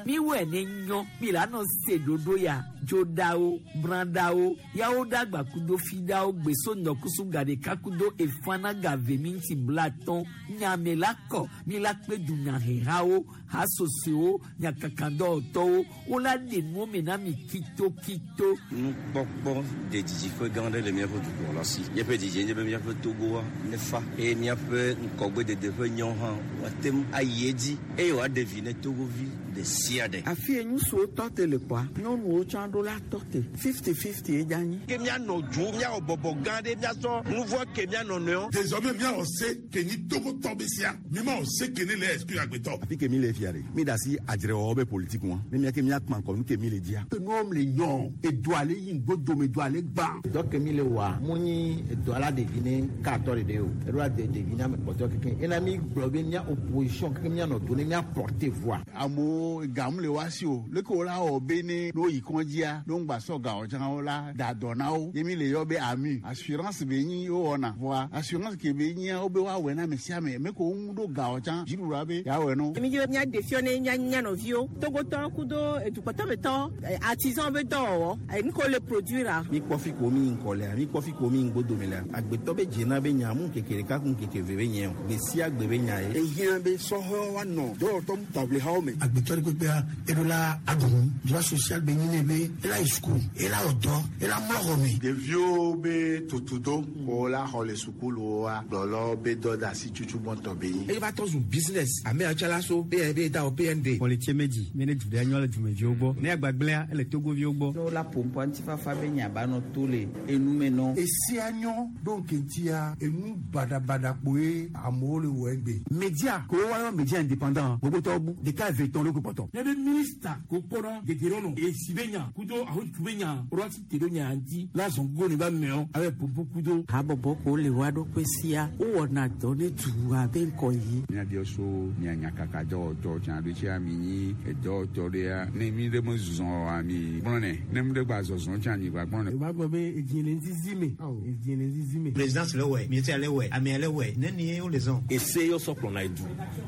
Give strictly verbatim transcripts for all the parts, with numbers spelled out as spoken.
Miwɛ ne nyɔ mi la nɔ se ɖoɖo ya dzoɖawo brãɖawo yawo ɖagba kudo fiɖawo gbeso ŋdɔkusu gaɖeka kudo efana gave mi ŋuti blatɔn nyame la kɔ mi la kpe dunyahehawo hasosowo nyakakadɔwɔtɔwo wola ɖe nuwo me na mi kitokito. Nukpɔkpɔ de didiƒe gã aɖe le míaƒe dukplɔla si. Míaƒe didie nye be míaƒe Togoa nefa eye míaƒe ŋgɔgbedede ƒe nyawo hã woate ŋu ayi edzi eye wòaɖe vi ne Togovi ɖe sia ɖe. Afi ye ŋutsuwo tɔ te le kpɔa, nyɔnuwo tsã ɖo la tɔ te. Fifty fifty ye dze anyi. Ke míanɔ dzo, míawɔ bɔbɔ gã ɖe, míasɔ nu vɔ ke míanɔ nɔewo. Désormais míawɔ se ke nyi Togotɔ be sia. Mi ma wɔ se ke ne le exclure agbetɔ. Afi ke mi le fia ɖe, mi da asi adzrewɔwɔ be politique ŋua. Ne mía ke míakpã ŋkɔ nu ke mi le dzia. Nuwo le nyɔ, edu ale yi ŋgbodome, edu ale gbã. Dɔ ke mi le wɔa, mu nyi edɔ ala ɖevi ne katɔ ɖeɖe o. Eɖo la de ɖevi ne ame kpɔtɔ keke. Ena mi gblɔ be mía opposition keke míanɔ do ne mía porter voix. Amewo gamu le wa si o. Leke wo la wɔ be ne ne woyi kɔndzia, ne woŋgba sɔ gawo tsã wo la da dɔ na wo. Ye mi le yɔ be AMU. Assurance be nyi wowɔna. Vɔa assurance ke be nyia wo be woawɔe na ame sia ame. Me ko wo ŋu ɖo gawo tsã dziɖuɖua be yeawɔe no. Mi dzi be míaɖe fiɔ ne mía mía nɔviwo Togotɔ kudo edukɔtɔmetɔ artisan be dɔwɔwɔ nu ke wole produire. Mi kpɔ fi ko mi ŋkɔ lea, mi kpɔ fi ko mi ŋgbodome lea. Agbetɔ be dzena be nya mu ŋkeke ɖeka ku ŋkeke eve be nye o. Gbe sia gbe be nya ye. Ehiã be sɔhɛwo woanɔ dɔwɔtɔ taʋlihawo me. Agbetɔ ɖe kpekpea eɖo la aɖu droit social be nyi ne be ela yi suku, ela wɔ dɔ, ela mlɔ xɔ me. Ɖeviwo be tutudo ko la xɔ le sukuluwoa gblɔlɔ be dɔ da asi tutu gbɔntɔ be nyi. Eye va tɔ zu business ame atsala so P N B da o P N D. Pɔlitsie medzi mi ne du ɖe nyɔ le dumeviwo gbɔ ne agbagblẽa ele Togoviwo gbɔ. Ne wola ƒoƒoa ŋutifafa be nya ba nɔ to le enume nɔ. Esia nyɔ ɖo ŋkeŋtia enu baɖabaɖa kpoe amewo le wɔ egbe. Média ko woayɔ média indépendant gbogbotɔwo bu ɖeka eve tɔn ɖo ko kpɔtɔ. Ne be ministre ko kpɔnɔ gege esi be nya kudo ahotu be nya woɖo asi te ɖo nya ŋuti la zɔn go ne ba mɛɔ abe popo kudo. Habɔbɔ ko le wa ɖokui sia wowɔna dɔ ne dua be ŋkɔ yi. Míabiɔ so mia nyakaka dɔwɔtɔ tsã ɖo tsia mi nyi edɔwɔtɔ ɖea ne mi ɖe me zɔzɔ oa mi gblɔnɛ ne mi ɖe gba zɔzɔ tsã mi gba gblɔnɛ. O b'a gbɔ be edzi le ŋzizi me edzi le ŋzizi me. Présidence le wɛ, ministère le wɛ, amea le wɛ, ne ni ye wo le zɔn. Ese yɔ sɔ kplɔna edu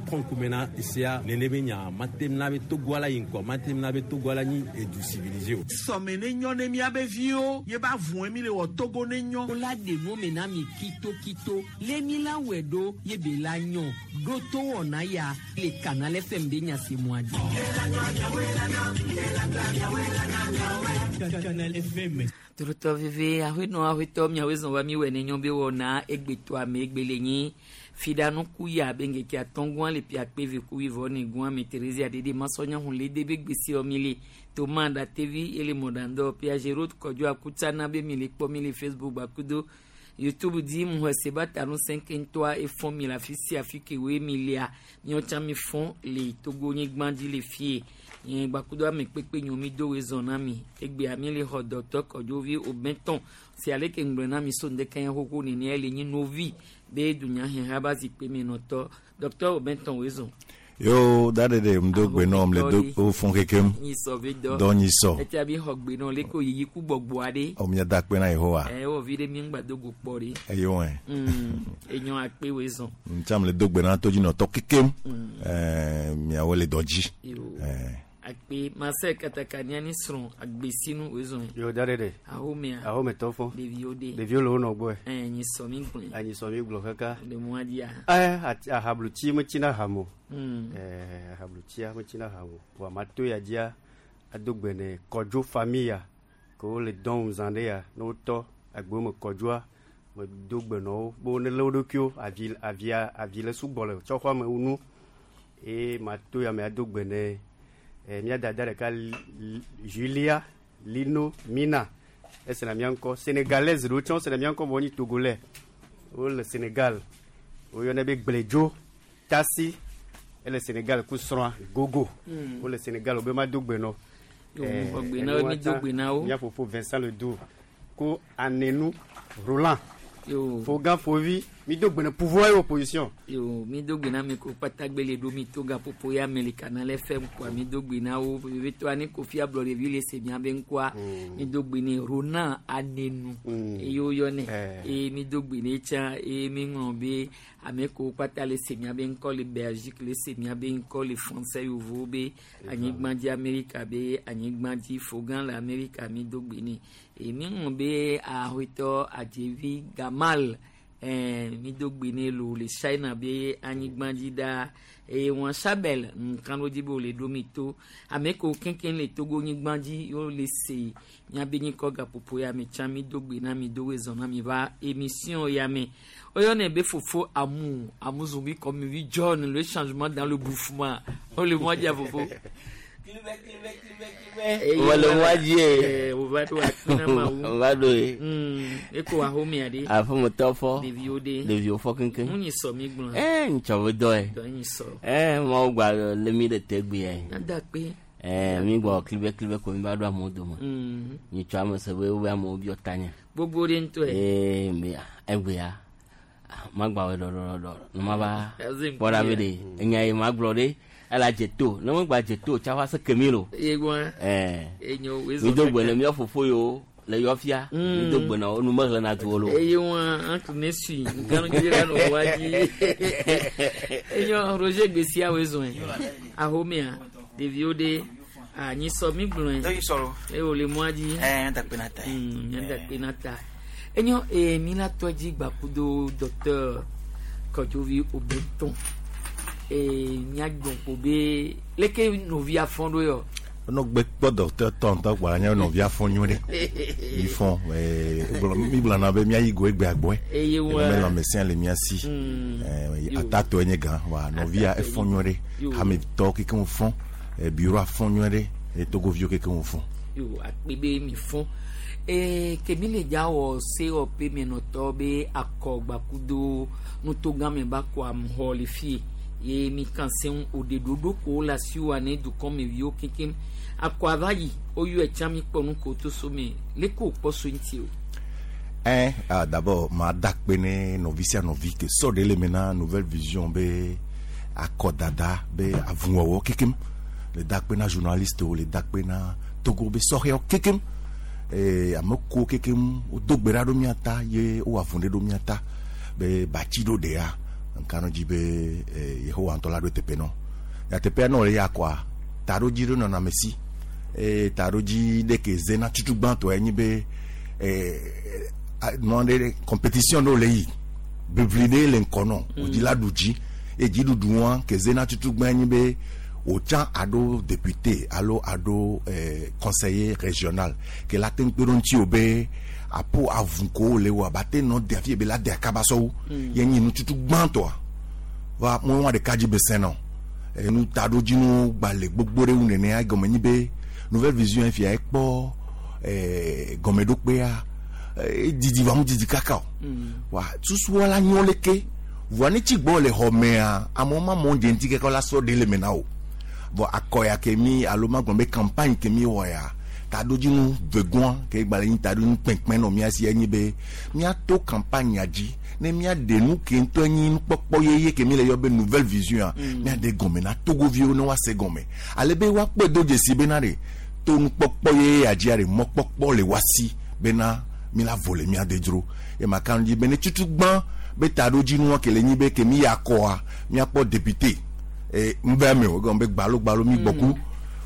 kɔnkume na esea nene be nya matem na be Togoa la yi ŋkɔ matem na be Togoa la nyi edu civilisé o. Sɔme ne nyɔ ne míabe viwo ye ba vɔe mi le wɔ Togo ne nyɔ. Wola ɖe nuwo me na mi kitokito lé mi la wɔe ɖo ye be la nyɔ ɖo to wɔna ya le Canal F M be nya se mua dzi. Canal F M. Torotɔ veve aƒenɔ aƒetɔ miawoe zɔn va mi wɔ ne nyɔ be wɔna egbetɔ ame egbe le nyi fiɖanu ku ya be ŋkeke atɔ̃ le pia kpe ve ku wuieve ne gua me Theresia ɖeɖe masɔnya hun le de be gbesi mi le toma ɖatevi ele mɔɖaŋdɔ Piaget Road kɔdzo akutsana be mi le kpɔ mi le Facebook gbakudo YouTube di mu hɛ seba tanu cinq ŋutɔa efɔn mi le afi sia afi ke woe mi lea miawo tsã mi fɔn le Togo nyigba dzi le fie nye gbakudo ame kpekpe nyo mi do woe zɔn na mi egbea mi le xɔ Docteur Kɔdzovi Obɛtɔn si ale ke ŋgblɔ na mi so ŋdeke ya xoxo nene le nyi novi be dunyaheha ba zikpui me nɔtɔ Docteur Obɛtɔn woe zɔn. Yo da de de ŋdo gbe nɔ le do o fún kekem. Nyisɔ be dɔ. Dɔ nyisɔ. Etia bi xɔ gbe nɔ le ko yiyi ku gbɔgbɔ aɖe. O mia da kpe na Yehowa. Ɛ wɔ vi ɖe mi ŋgba do go kpɔ ɖe. Eye wɔe. Mm enyo akpe woe zɔn. Ntsam le do gbe na todzinɔtɔ kekem. Ɛɛ miawo le dɔ dzi. Ɛɛ. Akpe Marcel Katakania ni srɔ̃ agbesinu woe zɔn. Yo da de de. Ahomea. Ahometɔ fɔ. Ɖeviwo de. Ɖeviwo le wo nɔ gbɔe. Ɛ nyisɔ mi gblɔe. Anyisɔ mi gblɔ kaka. Le mɔa dzia. Ɛ ahablutsi metsina ham o. Mm. Ɛɛ ahablutsia metsina ham o. Vɔa mato ya dzia ado gbe ne Kɔdzo famille ke wole dɔn zã ɖe ya ne wotɔ agbewo me Kɔdzoa me do gbe nɔ wo be wo ne lé wo ɖokuiwo avi avia avi le sugbɔ le tsɔxɔa me nu eye mato ya me ado gbe ne eh, mía dada ɖeka Julia Lino Mina esena mía ŋkɔ sénégalaise ɖewo tsã wosena mía ŋkɔ vɔ wonyi Togolais wole Sénégal woyɔnɛ be Gbledzo Tasi ele Sénégal ku srɔ̃a Gogo Mm. wole Sénégal wo be ma do gbe nɔ. Yo, mi xɔ gbe na wo, mi do gbe na wo. Mía fofo Vincent Ledoux ku Anenu Roland Yo. Fogan Fovi Mi do gbe ne pouvoir et opposition. Yo mi do gbe na mi ko kpata gbele ɖo mi to gaƒoƒo ya me le Canal F M kɔa mi do gbe na wo vevitɔ ani Kofi Ablɔɖevi le se miabe ŋkɔa mi do gbe ne Ronan Anenu eye woyɔnɛ eye mi do gbe ne tsã eye mi ŋlɔ be ame ko kpata le se miabe ŋkɔ le Belgique le se miabe ŋkɔ le français yovo be anyigba dzi Amerika be anyigba dzi Fogan le Amerika mi do gbe ne eye mi ŋlɔ be ahoetɔ Adzevi Gamal eh, mi do gbe ne lo le China be anyigba dzi ɖaa eye wɔn Sabel nkan dzi be wòle ɖo mi to ame ko keŋkeŋ le Togo nyigba dzi yewo le se miabe nyikɔ gaƒoƒo ya me tsã mi do gbe na mi do wezɔ na mi va émission ya me oyɔnɛ be fofo amu amu zumbi comme mi John le changement dans le bouffement o le mɔ dza fofo. Wale mwadie. O va ɖo akpe na Mawu. O va ɖo ye. Eko ahomea ɖe. Aƒemetɔ fɔ. Ɖeviwo ɖe. Ɖeviwo fɔ keŋkeŋ. Nu nyi sɔ mi gblɔ. Ɛɛ ŋtsɔ be dɔ ye. Dɔ nyi sɔ. Ɛɛ Mawu gba le mi ɖe te gbe ye. Nada akpe. Ɛɛ mi gbɔ klibe klibe ko mi va ɖo amewo dome. Nyitsɔ ame se be wobe amewo biɔ tanye. Gbogbo ɖe ŋutɔe. Ee me egbea magba wɔ ɖɔɖɔɖɔ ne ma va kpɔ ɖa be ɖe enya yi ma gblɔ ɖe. Ela dze to ne megba dze to tsa va se kemi lo. Ye gba. Ɛɛ. Enyo wezo. Mi do gbe ne míawo fofo yiwo le yɔ fia. Mi do gbe na wo nu mehlẽ na duwo lo. Eye wa entre ne sui nkanu dzi la nɔ wa dzi. Enyo Roger gbesia wezo yɛ. Ahomea ɖeviwo ɖe anyisɔ mi gblɔe. Eye wòle mɔa dzi. Ɛɛ nyada kpe na ta. Nyada kpe na ta. Enyo ee mi la tɔ dzi gbakudo docteur Kɔdzovi Obetɔn. Ee miagbɔn ko be leke nɔvia fɔn ɖo yɔ. No gbe kpɔ docteur tɔntɔ kpɔ anya nɔvia fɔn nyuie ɖe. Mi fɔn ɛɛ mi gblɔna be miayi go egbe agbɔe. Eye wa eme lãmesẽ le mia si. Ɛɛ atatɔ nye gã wa nɔvia efɔn nyuie ɖe. Hametɔ kekeŋ fɔn bureau afɔn nyuie ɖe eye togoviwo kekeŋ fɔn. Yo akpe be mi fɔn. Ee kemi le dza wɔ C O P menɔtɔ be akɔgbakudo nutogãme ba kɔ amuxɔ le fie. Ye mi kan seŋ o de ɖoɖo ko le asiwò ne dukɔ me viwo kekem akɔ ava yi woyɔ etsa mi kpɔ nu ko to so me leke wòkpɔ so ŋuti o. Ɛn ah, d'abord ma da akpe ne nɔvi sia nɔvi ke sɔ ɖe le me na Nouvelle Vision be akɔdada be avuwɔwɔ kekem le da akpe na journaliste wo le da akpe na Togo be sɔhɛwo kekem ee ame ko kekem wodo gbe ɖa ɖo mía ta ye wowɔ avu ɖe ɖo mía ta be batsi ɖo ɖea. Nkanu dzi be Yehowa ŋutɔ la ɖo teƒe nɔ. Ya teƒea nɔ le ya kɔa taɖodzi ɖo nɔna ame si. Eye taɖodzi ɖe ke zena tutu gbãtɔe nye be ɛɛ nua ɖe compétition ɖewo le yi bebli ɖe le ŋkɔ nɔ wòdzi la ɖu dzi eye dziɖuɖu wa ke zena tutu gbã nye be wòtsã aɖo député alo aɖo ɛɛ conseiller régional ke la te ŋu kpe ɖo ŋuti o be apo avu ko le wa ba te nɔ de afi ebe la de akaba sɔwu ye nyi nututu gbãtɔa va mo wa ɖeka dzi be sẽ nɔ enu taɖodzinu gba le gbogbo ɖe ŋu nenea gɔme nyi be Nouvelle Vision fia ekpɔ ɛɛ gɔmeɖokpea edidi va mu didi kaka o wa susua la nyɔ leke voa ne tsi gbɔ le xɔmea amewo ma mɔ dze ŋuti keke la sɔ ɖe le me na o vɔ akɔ ya ke mi alo ma gblɔ be campagne ke mi wɔ ya taɖodzinu vegɔa ke gba le nyi taɖodzinu kpɛnkpɛn nɔ mía si enyi be míato campagne ya dzi ne míaɖe nu ke ŋutɔ nyi nukpɔkpɔ yeye ke mi le yɔ be Nouvelle Vision míaɖe gɔme na togoviwo ne woase gɔme ale be woakpɔe do dzesi bena ɖe to nukpɔkpɔ yeye ya dzia ɖe mɔkpɔkpɔ le woasi bena mi la vo le mía de dzro ye ma kan dzi be ne tutu gbã be taɖodzinua ke le nyi be ke mi ya kɔa míakpɔ député ee ŋbɛ me o egɔme be gbalo mi gbɔku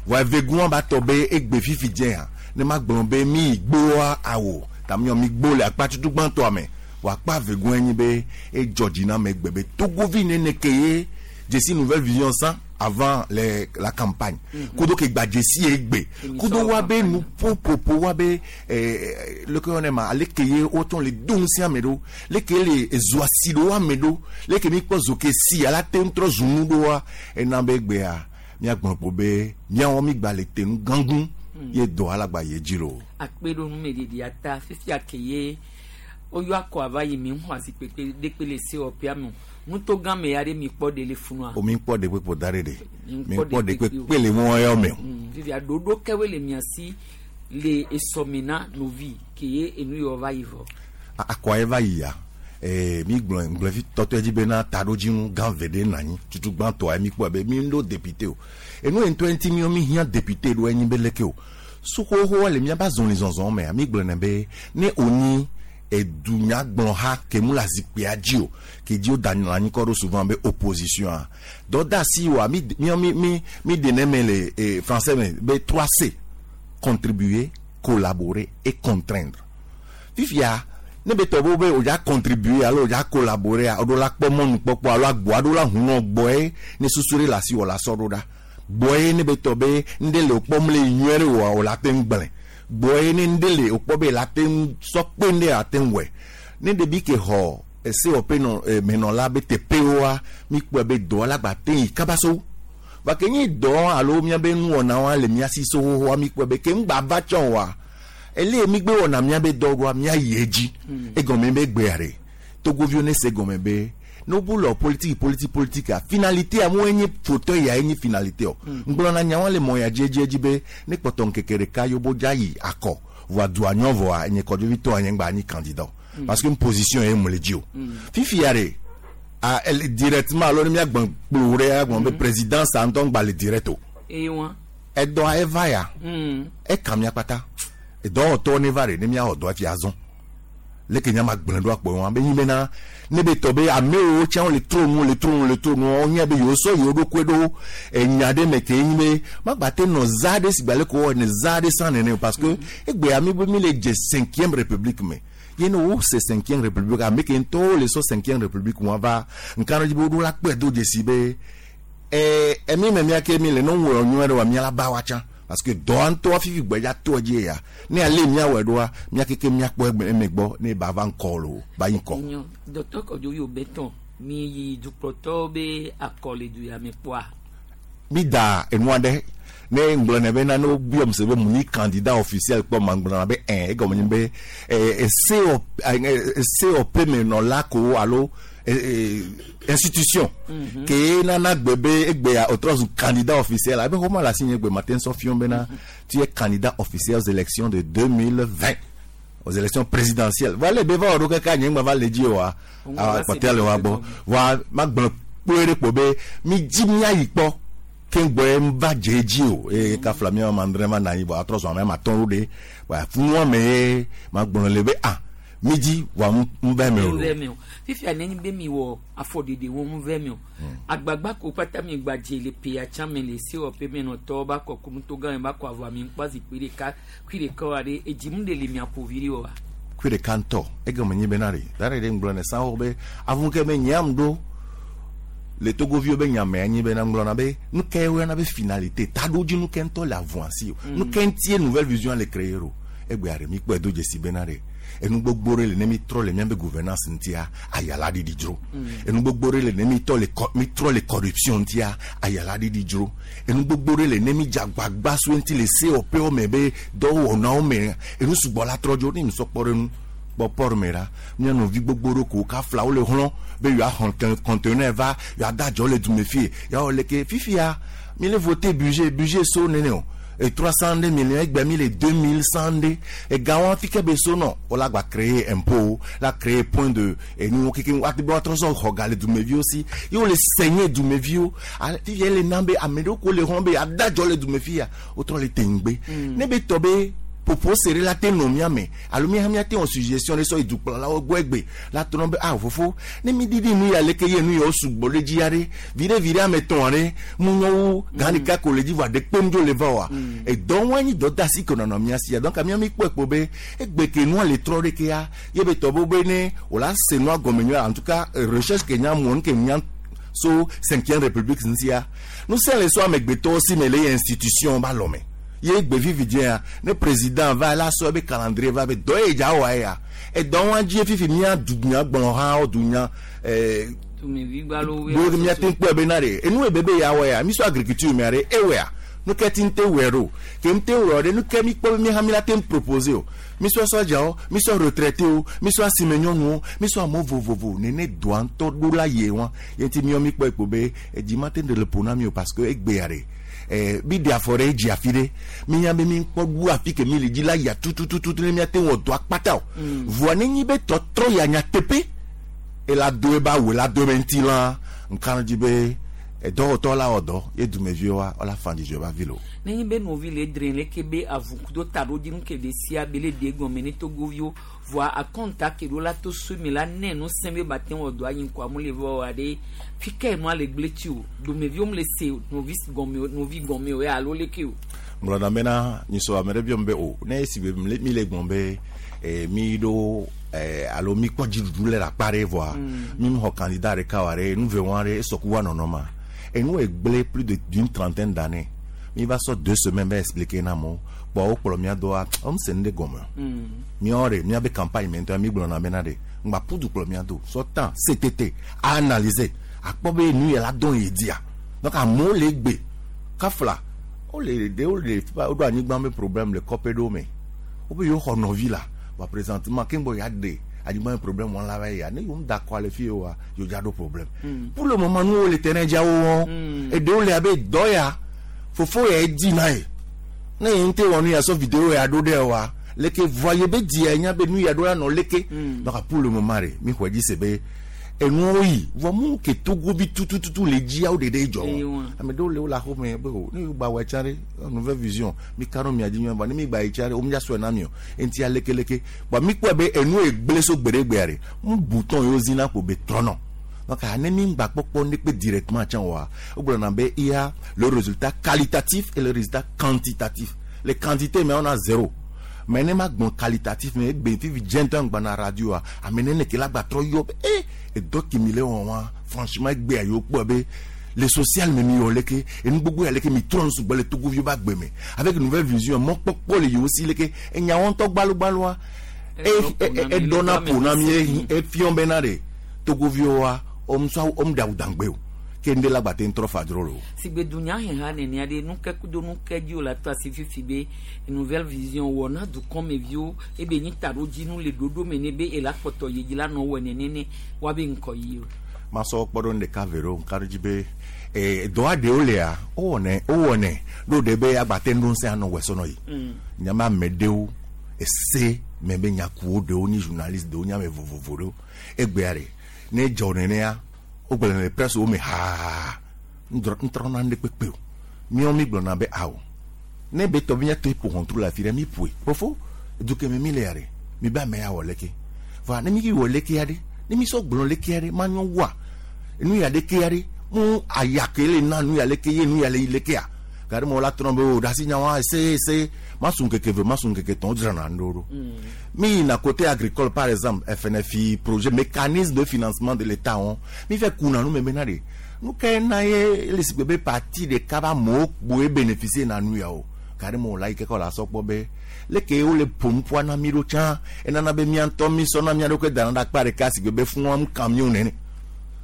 vɔ evegua ba tɔ be egbe fifi dze ya ne ma gblɔ be mi gboa awo tamiɔ mi gbo le akpa tutu gbãtɔa me vɔ akpa vegua nyi be edzɔ dzi na me gbe be togovi nene ke ye dzesi Nouvelle Vision san avant les, la campagne kudo ke gba dzesi egbe kudo wa be nuƒoƒoƒo wa be eh, leke wɔne ma aleke ye wotɔ le do ŋusẽ ame ɖo leke le ezo asi ɖo ame ɖo leke mi kpɔ zo ke si ala te ŋu trɔ zu nu ɖoa ena be gbea míagblɔ kpo be míawo mi gba le te nu gãgũ ye dɔ alagba ye dzi lo. Akpe ɖo numeɖeɖia ta fifia ke ye woyɔ akɔ ava yi mi ŋu azikpekpe ɖekpe le sewɔƒea me nutogã me ya ɖe mi kpɔ ɖe le funua. O mi kpɔ ɖekpe kpo da ɖe ɖe mi kpɔ ɖekpe kpe le mɔ yɔ me o. Fifia ɖoɖo kɛwoe le mia si le esɔme na novi ke ye enu yɔ va yi vɔ. Akɔ ye va yi ya Eh, mi gblɔ ŋgblɔ fi tɔtɔ dzi bena taɖodzinu gã ve ɖe nɔ anyi tutu gbãtɔa mi kpɔe be mi ɖo député o enu ye ŋutɔ ŋuti mi mi hiã député ɖo enyi be leke o suxoxoa le miaba zɔlizɔzɔ mea mi gblɔnɛ be ne wonyi edunyagblɔha ke mu le azikpuia dzi o ke dzi woda nɔ anyi kɔ ɖo souvent be opposition a dɔdeasi wa mi mi mi mi mi ɖenɛ me le eh, français me be trois C contribuer collaborer et contraindre fifia ne be tɔ bo be o dza contribuer alo o dza collaborer a o ɖo la kpɔ mɔnukpɔkpɔ alo agbo aɖo la hu nɔ gbɔe ne susu ɖe le asi wò la sɔ ɖo ɖa gbɔe ne be tɔ be ŋɖe le o kpɔm le nyuie ɖe oa o la te ŋu gblẽ gbɔe ne ŋɖe le o kpɔ be la te ŋu sɔ kpe ŋɖe ate ŋu wɔe ne ɖevi ke xɔ esewɔƒe nɔ eh, menɔla be teƒewoa mi kpɔe be dɔa la gba te yi kaba so va ke nyi dɔ alo miabe nuwɔnawoa le mia si so xoxoa mi kpɔe be ke ŋgba va tsɔ oa ele mi gbe wɔna miabe dɔ ɖoa miayi edzi egɔme be gbea ɖe togoviwo ne se gɔme be ne wobu le politique politique politique a finalité amewo enye fauteuil ya enye finalité o ŋgblɔna nyawo le mɔ ya dzi edzi edzi be ne kpɔtɔ ŋkeke ɖeka yewo dza yi akɔ voa dua nyɔ vɔa enye kɔdzovitɔ nye ŋgba anyi candidat o parce que position ye mu le dzi o fifia ɖe a ele directement alo ne miagbɔn kplo ɖe agbɔn be président sa ŋutɔ ŋgba le direct o eye wa edɔa eva ya Mm. eka mia kpata edɔwɔtɔwo ne va ɖe ne miawɔ dɔ hafi azɔ leke nya ma gblẽ ɖo akpɔ wɔn be nyi bena ne be tɔ be amewo tsã le tro nu le tro nu le tro nu wonye be yewo sɔ yewo ɖokui ɖo enya ɖe me ke nyi be magba te nɔ za ɖe si gba le ko wɔ ne za ɖe sã nene o parce que egbea mi be mi le dze cinquième république me ye ne wo se cinquième république ame ke ŋutɔwo le sɔ cinquième république wɔn va nka ɖe dzi be woɖo la kpɔe do dzesi be ɛɛ emi me mia ke mi le ne wɔ nyuie ɖe wa mia la ba wa tsã parce que dɔa ŋutɔ fifi gbedza to edzi ya ne ale miawɔe ɖoa mia keke miakpɔ egbe eme gbɔ ne ba va ŋkɔ lo ba yi ŋkɔ. Nyɔ docteur Kɔdzovi Obetɔn mi yi dukplɔtɔwo be akɔ le du ya me kpɔa mi da enua ɖe ne ŋgblɔ ne be na ne wobiɔm se be mu nyi candidat officiel kpɔ ma ŋgblɔ na be ɛn egɔme nye be ɛ ese esewɔƒe me nɔla ko alo ɛ ɛ institution ke nana gbe be egbea otrɔ zu candidat officiel abe xɔma le asi nye gbe ma te ŋsɔ fiɔm bena tu es candidat officiel aux élections de deux mille vingt aux élections présidentielles voilà be va wɔ ɖo kaka nye ŋgba va le dzi oa kpɔtɛ le wa gbɔ voa ma gblɔ kpoe ɖe kpo be mi dzi miayi kpɔ ke ŋgbɔ va dze edzi o eye kafla mi ma andre ma na anyi bɔ atrɔ zɔn ame ma tɔn ɖo ɖe wa funua me ye ma gblɔ le be ah mi dzi wa ŋ vɛ me o ŋvɛ me o fifia ne nyi be mi wɔ afɔɖeɖe wo ŋvɛ me o agbagba ko kpata mi gba dze le peya tsã me le sewɔƒe me nɔtɔwo ba kɔ kunuto gã me ba kɔ avɔ mi ŋkpɔ zikpui ɖeka kui ɖeka wa ɖe edzi mu ɖe le mia ƒo vi ɖe wa kui ɖeka ŋutɔ egɔme nyi bena ɖe da ɖe ɖe ŋgblɔ ne sanwo be avu ke be nyam ɖo le togoviwo be nyame anyi bena ŋgblɔna be nu ke woyɔna be finalité taɖodzi nu ke ŋutɔ le avua si o nu ke ŋutie nouvelle vision le créer o egbea ɖe mi kpɔe do dzesi bena ɖe enu gbogbo ɖe le ne mi trɔ le miabe gouvernance ŋutia ayala ɖiɖi dzro enu gbogbo ɖe le ne mi tɔ le kɔ mi trɔ le corruption ŋutia ayala ɖiɖi dzro enu gbogbo ɖe le ne mi dze agbagba so ŋuti le sewɔƒewo me be dɔwɔnawo me enu sugbɔ la trɔ dzo ne mi sɔ kpɔ ɖe nu kpɔ port me ɖa mía nɔvi gbogbo ɖo ko kafla wo le hlɔ̃ be yewoaxɔ conteneur va yewoada adzɔ le dume fie yeawɔ leke fifia mi le voter budget budget so nene o et trois cent deux millions egbe mi le deux mille cent deux ega wɔn fi ke be so nɔ o la gba créer impôt la créer point de enu keke ati be woatrɔ sɔ xɔ ga le dumeviwo si ye wo le saigner dumeviwo ale fifia ele na be ame ɖewo ko le hlɔ̃ be ada dzɔ le dumevi ya wotrɔ le teŋgbe ne be tɔ be popo sere la te nɔ mía me alo mía hã míate wɔ suggestion ɖe sɔ yi dukplɔlawo gbɔ egbe la trɔ be ah fofo ne mi ɖiɖi nu ya leke ye nu yawo sugbɔ ɖe dzi ya ɖe viɖe viɖe ame etɔ̃ ɖe mu nyɔwu gã ɖeka ko le dzi vɔa ɖe kpem dzo le va oa edɔ wɔn anyi dɔ de asi ke nɔnɔ mía sia donc mía mi kpɔe kpo be egbe ke nua le trɔ ɖe ke ya ye be tɔ be be ne wòla se nua gɔme nyuie en tout cas recherche ke nya mɔ nu ke nya so cinquième république ŋutia ŋusẽ le so amegbetɔwo si me le ye institution ba lɔme ye gbe vivi dzia ne président va la sɔ ebe calendrier va be dɔ ye dza wɔ ya edɔ wɔn dzi fifi mía dunya gblɔ hã wo dunya ɛɛ dumevi gbalo do mía te kpɔe be na ɖe enu ebe be ya wɔ ya mi sɔ agriculture mea ɖe ewɔa nu ke ti ŋte wɔe ɖo ke ŋte wɔ ɖe nu ke mi kpɔ be mi hã mi la te proposer o mi sɔ sɔdzawo mi sɔ retraité wo mi sɔ asime nyɔnuwo mi sɔ amewo vovovo nene doa ŋutɔ ɖo la yie wa ye ŋuti miɔ mi kpɔe kpo be edzi ma te ɖe le ƒo na mi o parce que egbea ɖe eh, mi ɖe afɔ ɖe edzi afi ɖe mi nya be mi kpɔ ɖu afi ke mi le dzi la ya tutututu ne miate wɔ dɔ akpata o voa ne nyi be tɔtrɔ ya nyateƒe ela do eba awu ela do ebe ŋutilã nka dzi be edɔwɔtɔ la wɔ dɔ ye dumeviwoa wola fa dzidzɔ ba vi lo. Nenye be nɔvi le dre leke be avukudo taɖodzinu ke ɖe sia be le ɖe gɔme ne togoviwo voa akɔnta ke ɖo la to so mi la ne nu sẽ be ba te wɔ dɔ anyi ŋkɔ amu le vɔ wa ɖe fi ka enua le gble tsi o dumeviwo mu le se nɔvi gɔme nɔvi gɔme o ya alo leke o. Ŋlɔna bena nyisɔ ame ɖe biɔm be o ne esi be mi le gbɔn be eh, mi ɖo eh, alo mi kpɔ dziɖuɖu le akpa ɖe vɔa mi xɔ candidat ɖeka wa ɖe nu ve wa ɖe esɔku wa nɔnɔ ma enu egblẽ plus de d'une trentaine d'années mi va sɔ deux semaines va expliquer na amewo kpɔ wo kplɔ mía doa wɔm se nu ɖe gɔme míawo ɖe míabe campagne me ŋutɔ mi gblɔna bena ɖe ŋgba ƒudu kplɔ mía do sɔ tan CTT a analyser akpɔ be nu yɛ la dɔn ye dia donc amewo le gbe kafla wole ɖewo le woɖo anyigba be problème le kɔƒe ɖewo me wobe yewo xɔ nɔvi la wa présentement keŋgbɔ ya ɖe anyigba be problème wɔn la va ya ne yewo da kɔ ale fi wa yewo dza ɖo problème pour le moment nuwo le terrain dza wo wɔm eɖewo le abe dɔ ya fofo ya dzi na ye ne ye ŋute wɔ nu ya sɔ vidéo ya ɖo ɖe wa leke voa ye be dzia nya be nu ya ɖo la nɔ leke donc pour le moment ɖe mi xɔe dzi se be enuwo yi vɔ mu ke togovi tutututu le dziawo ɖeɖe dzɔ wɔ ame ɖewo le wo le axome be o ne yewo gba wɔ tsa ɖe nouvelle vision mi ka ɖo mia dzi nyuie vɔ ne mi gba yi tsa ɖe wo mi dza sɔe na mi o eŋuti alekeleke bɔn mi kpɔe be enu egblẽ so gbeɖegbea ɖe mu bouton yewo zina ko be trɔnɔ donc ne mi gba kpɔkpɔ ne kpe directement tsã oa wogblɔna be il y a le résultat qualitatif et le résultat quantitatif le quantité mais on a zéro mais ne ma gbɔn qualitatif mais egbe fifi dze ŋutɔ ŋgbana radio a ame nene ke la gba trɔ yɔ be eh edɔ ke mi le wɔ wa franchement egbea yewo kpɔ be le social me mi yɔ leke enu gbogbo ya leke mi trɔ nusugbɔ le togoviwo be agbe me avec nouvelle vision mɔkpɔkpɔ le yewo si leke enyawo ŋutɔ gbalogbaloa eɖɔna ƒo na mi efiɔ bena ɖe togoviwoa womusɔ womu ɖe awu dangbe o ke ŋɖe la gba te ŋtrɔ fa dzro lo. Sigbe dunyaheha nenea ɖe nukekudo nukedzi wo le ato asi fifi be nouvelle vision wɔ na dukɔmeviwo ebe nyi taɖodzinu le ɖoɖo me ne be ela kpɔtɔ yi dzi la nɔ wɔ nenene woabe ŋkɔ yi o. Masɔ kpɔ ɖo ɖeka ve ɖo ŋka ɖe dzi be ee dɔa ɖewo lea wowɔnɛ wowɔnɛ ɖo ɖe be agbate ŋɖo ŋusẽ anɔ wɔ sɔnɔ yi. Nyama ame ɖewo ese me be nyakuwo ɖewo nyi journaliste ɖewo nye ame vovovo ɖewo egbea ɖe ne dzɔ nenea wogblɔna le presse wo me haa ŋtrɔna ŋɖe kpekpe o míawo mi gblɔna be awo ne be tɔ be míate ƒo ʋɔtru le afi ɖe mi ƒoe fofo duke me mi le ya ɖe mi be ame ya wɔ leke va ne mi wɔ leke ya ɖe ne mi sɔ gblɔ leke ya ɖe manyɔ wua nu ya ɖeke ya ɖe mu aya ke le na nu ya leke ye nu ya le yi lekea gari mo la trɔ be o ɖasi nyawa ese ese masu ŋkeke ve masu ŋkeke tɔn dzrana ŋɖo ɖo mi yina côté agricole par exemple F N F I projet mécanisme de financement de l'État wɔn mi fɛ kuna nu me bena de nu ke na ye le si be parti ɖeka ba amewo kpoe bénéficier na nu ya o gari mo la yi keke la sɔ kpɔ be leke wo le ƒom ƒua na mi ɖo tsã enana be mía ŋutɔ mi sɔ na mía ɖokui dana ɖe akpa ɖeka si be fún am camion nene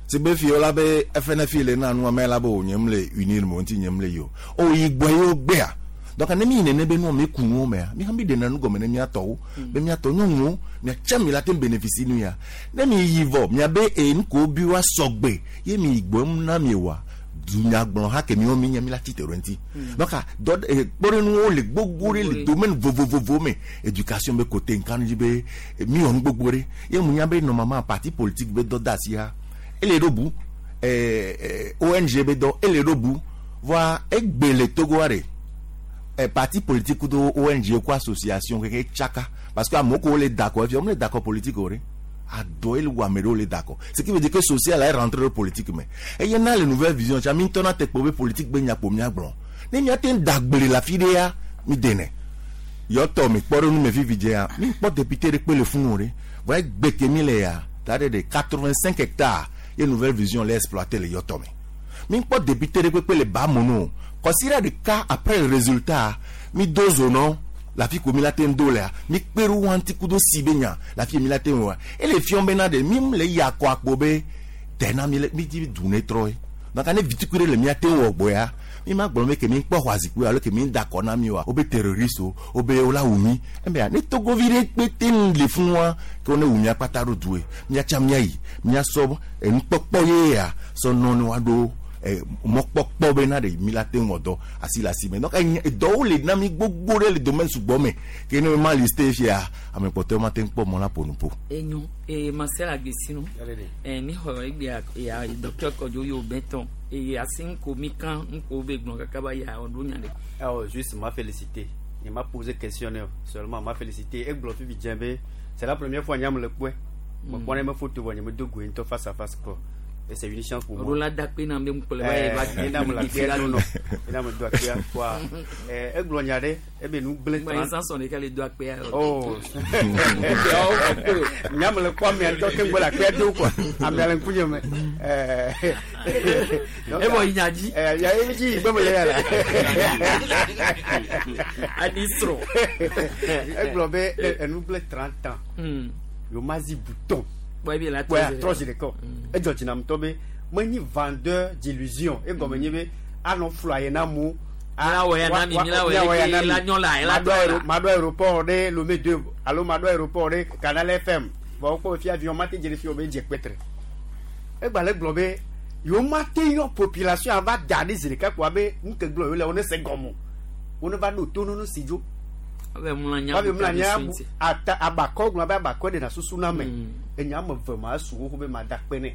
si be fi la be F N F I le na nu ame la be o nye m le unir mo ŋuti nye m le yi o o yi gbɔ ye wo gbea donc ne mi nene be nu mi ku nuwo mea mi hã mi ɖena nu gɔme ne mía tɔwo be mía tɔ nyɔnuwo miatsa mi la te bénéficie nu ya ne mi yi vɔ miabe enu ko bi wa sɔgbe ye mi yi gbɔ na mi wa dunyagblɔ ha ke miwo mi nye mi la tsi te ɖo ŋuti donc dɔ kpɔɖenuwo le gbogbo ɖe le domaine vovovovo me éducation be côté nkanu dzi be mi wɔ nu gbogbo ɖe ye mu nya be normalement parti politique be dɔ da asi ha ele ɖo bu ɛɛ O N G be dɔ ele ɖo bu voa egbe le Togoa ɖe eh, parti politique do O N G ko association keke tsaka parce que amewo ko le d'accord fi le d'accord politique o ɖe adɔ ele wo ame ɖewo le d'accord ce qui veut dire que social est rentré dans politique me eye na le nouvelle vision tsa mi ŋutɔ na te kpɔ be politique be nyakpo miagblɔ ne miate ŋu da gble le afi ɖe ya mi denɛ yɔtɔ mi kpɔ ɖe nu me vivi dze ya mi kpɔ député ɖe kpe le funu o ɖe voa egbe ke mi le ya ta ɖe de quatre-vingt-cinq hectares ye nouvelle vision le exploité le yɔtɔ me mi kpɔ député ɖe kpekpe le Bamono considère ɖeka après le résultat mi do zonɔ la fi ko mi la te ŋu do lea mi kpe ɖo wa ŋuti kudo si be nya la fi mi la te ŋu wa ele fiɔ bena ɖe mi le yi akɔ akpo be tena mi le mi dzi du ne trɔ ye donc ne vitukui ɖe le mia te wɔ gbɔ ya mi ma gblɔ be ke mi kpɔ xɔ azikpui alo ke mi da kɔ na mi wa wo be terroriste o wo be wo la wu mi ebe ne togovi ɖe kpe te ŋu le fún wa ke wo ne wu mia kpata ɖo du ye miatsa mia yi miasɔ enukpɔkpɔ ye ya sɔ nɔ ne wa ɖo eh, mɔkpɔkpɔ bena ɖe mi la te ŋu wɔ dɔ asi le asi me donc enya dɔwo le na mi gbogbo ɖe le domaine sugbɔ me ke ne ma liste fia ame kpɔtɔewo ma te ŋu kpɔ mɔ la ƒo nu ƒo. Enyo e Marcel Agbesinu eh mi xɔ egbea ya docteur Kɔdzo yo bɛtɔn eye asi ŋko mi kan ŋko be gblɔ kaka ba ya ɔɖo nya ɖe. Alors, juste m'a félicité. Il m'a posé question seulement m'a félicité. Et gblɔ fifi dze be c'est la première fois nyam le kpɔe. Me kpɔ ne me photo vɔ nye me do goe ŋutɔ face à face quoi. Et c'est une chance pour moi. Ɔɖo la da kpe na be ŋkplɔ ba ye va Eh, ena me le akpea do nɔ. Ena me do akpea quoi. Eh, egblɔ nya ɖe ebe nu gblẽ Gba yi sanson ɖeka le do akpea. Oh. Nyam le kpɔ amea ŋutɔ ke ŋgbɔ le akpea do quoi. Amea le ŋkunye me. Eh. Evɔ yi nya dzi. Eh, ya ye dzi yi gbe me le ya la. Ani srɔ̃. Egblɔ be enu gblẽ trente ans. Yomazi bouton. Bɔn ebi la Ouais, trɔ zi ɖeka o. Edzɔ dzi nam ŋutɔ be menye vendeur d'illusion. Egɔme nye be anɔ flu aye na amewo. Mila wɔ ya na mi, mila wɔ ya na mi, la nyɔ la, la Maɖo trɔ la. aéro- maɖo aéroport ɖe Lomé deux alo maɖo aéroport ɖe Canal F M. Vɔ wokpɔ be fia avion ma te dze ɖe fi o be edze kpetre. Egba le gblɔ be yewo ma te yɔ population ava da ɖi zi ɖeka ko abe nu ke gblɔ yewo le wo ne se gɔme o. Wo ne va ɖo to nono si dzo. Abe mlɔ anya Wabe bu mlɔ anya ta bu ɖe ata abakɔ gblɔ abe abakɔ ɖena susu na ame. Enya ame eve ma su xoxo be ma da kpe nɛ.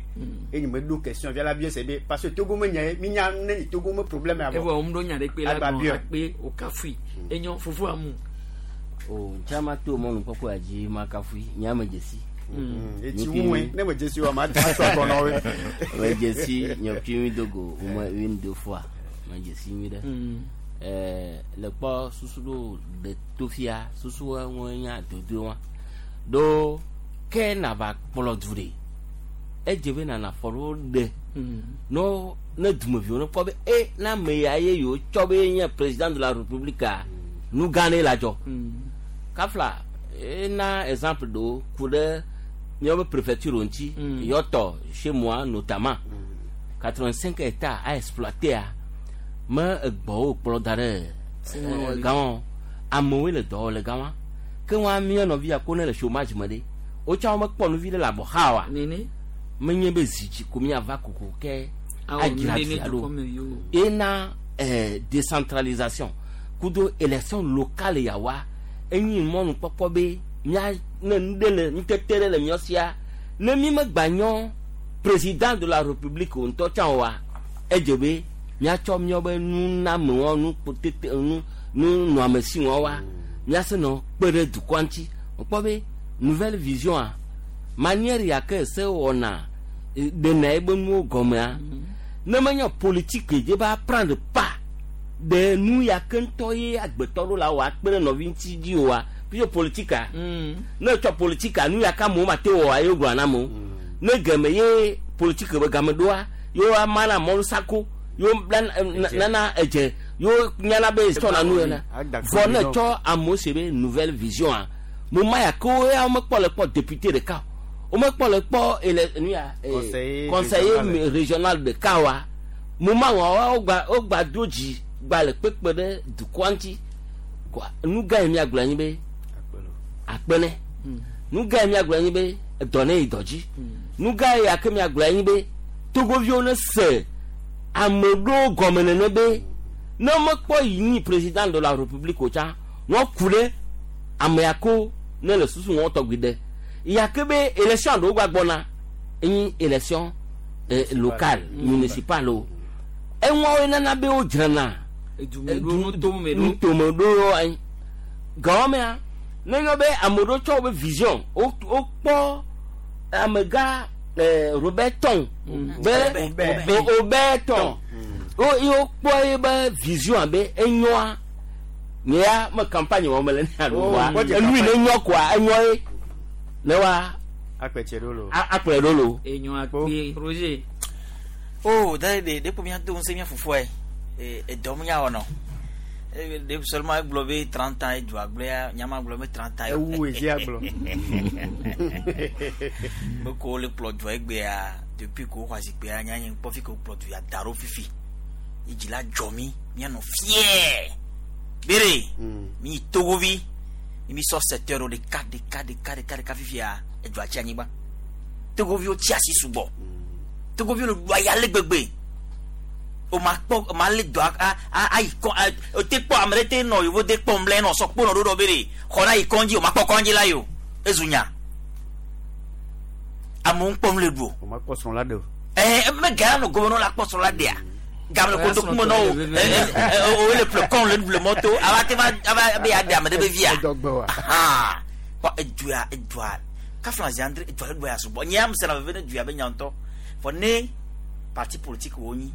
Eye me ɖo question via la biɛ se be parce que Togo me nya ye mi nya ne nyi Togo me problème ya Evɔ vɔ. wɔm ɖo nya ɖe kpe la Agba gblɔ biɔ. akpe o kafui. Enyo fufu amu. O ntsama to mɔnu kpɔkpɔ ya dzi ma kafui nye ame dzesi. Etsi ŋue ne me dzesi wa ma da sɔ kɔ na wo. Me dzesi nye kpi mi dogo o me une deux fois me dzesi mi ɖe. Ɛɛ le kpɔ susu ɖo ɖe to fia susu ŋue nya dodo wa ɖo ke nava kplɔ du ɖe edze be nana fɔ ɖo ɖe no ne dumeviwo ne kpɔ be e na ame ya ye yewo tsɔ be nye président de la république nu gã ne la dzɔ kafla ena exemple ɖewo ku ɖe míaƒe préfecture ŋuti yɔtɔ chez moi notamment quatre-vingt-cinq hectares a exploité a me egbɔwo kplɔ da ɖe eh, gãwo amewoe le dɔ wɔ le gama ke wɔn mía nɔvi ya ko ne le chômage me ɖe wotsã womekpɔ nuvi ɖe le abɔ xa oa Nene. menye be zi dzi ko míava koko ke Awɔ adzra nu ɖe ne dua ɖo dukɔmeviwo. ena eh, décentralisation kudo élection locale ya wa enyi mɔnukpɔkpɔ be mía ne nu ɖe le nutete ɖe le míɔ sia ne mi megba nyɔ président de la république o ŋutɔ tsã oa edze be míatsɔ míaƒe nunamewo nu kpotete nu nunɔamesiwo wa míase nɔ kpe ɖe dukɔa ŋuti wokpɔ be nouvelle vision a manière ya ke se wɔna eh, ɖena ebe nuwo gɔmea ne menye politique dze ba prendre pas ɖe nu ya ke ŋutɔ ye agbetɔ ɖo la wɔ akpe ɖe nɔvi ŋuti dzi oa puisque politique ne etsɔ politique nu ya ke amewo mate wɔ ye wogblɔ na amewo ne geme ye politique be game ɖoa yewo ama na mɔlu sako yewo nana edze yewo nyana be tsɔna nu yena vɔ ne tsɔ amewo se be nouvelle vision a mo ma ya ke wo ya womekpɔ le kpɔ député ɖeka o womekpɔ le kpɔ ele nu ya eh, Conseiller conseiller régional. régional ɖeka wa mo ma wɔ wogba wogba do dzi gba le kpekpe ɖe dukɔa ŋuti Kɔa, nu gã yi miagblɔ anyi be akpe nɛ nu gã yi miagblɔ anyi be edɔ ne yi dɔ dzi nu gã yi ake miagblɔ anyi be togoviwo ne se ame ɖewo gɔme nene be ne mekpɔ yi nyi président de la république o tsã wɔku ɖe ame ya ko ne le susu wɔn tɔgbi ɖe ya ke be élection ɖewo gba gbɔna enyi élection eh, locale municipale o eŋuawoe nana be wodzrana Edumeɖo, nutomeɖo. nutomeɖo anyi gawɔmea ne nyɔ be ame ɖewo tsɔ wobe vision wo wokpɔ amegã eh, Robert Tong be be Robert Tong wo ye wokpɔ ye be vision abe enyoa nye ya me campagne wɔm le ne alo Oh, wa kpɔ dze enu yi ne campagne. nyɔ koa enyɔ ye ne wa Akpɛtse ɖo lo. a- akplɔe ɖo lo. Enyo akpe Roger. Oh, da de de ko mía do ŋusẽ mía fofoa ye edɔ mu nya wɔnɔ de seulement egblɔ be trente ans edua gblɔ ya nyama gblɔ be trente ans Ewu edzi agblɔ. me ko wole kplɔ dua egbea depuis ko woxɔ azikpuia nya nye kpɔ fi ke wokplɔ du ya da ɖo fifi ye dzi la dzɔ mi míanɔ fiɛ bere mi yi togovi mi mi sɔ secteur ɖo ɖeka ɖeka ɖeka ɖeka ɖeka fifia edua tsi anyigba togoviwo tsi asi sugbɔ togoviwo le ɖu aya le gbegbe O ma kpɔ o ma le dɔ a a ayi kɔ a o te kpɔ ame ɖe te nɔ yevo de kpɔ ŋlɛ nɔ sɔ kpɔ nɔ ɖo ɖɔ be de xɔ na yi kɔndzi o ma kpɔ kɔndzi la yi o ezu nya amewo ŋkpɔ nu le ɖu o. O ma kpɔ srɔ̃ la ɖe o. Ɛɛ me ga nɔ gome nɔ la kpɔ srɔ̃ la ɖea game le kotoku me nɔ o ɛ o le ƒle kɔn le ɖu le mɔto ava te va ava be ya ɖe ame ɖe be via. Ahan kɔ edua edua kafla ziandre edua le ɖua ya sugbɔ nye ame sena veve ne dua be nya ŋutɔ fɔ ne parti politique wo nyi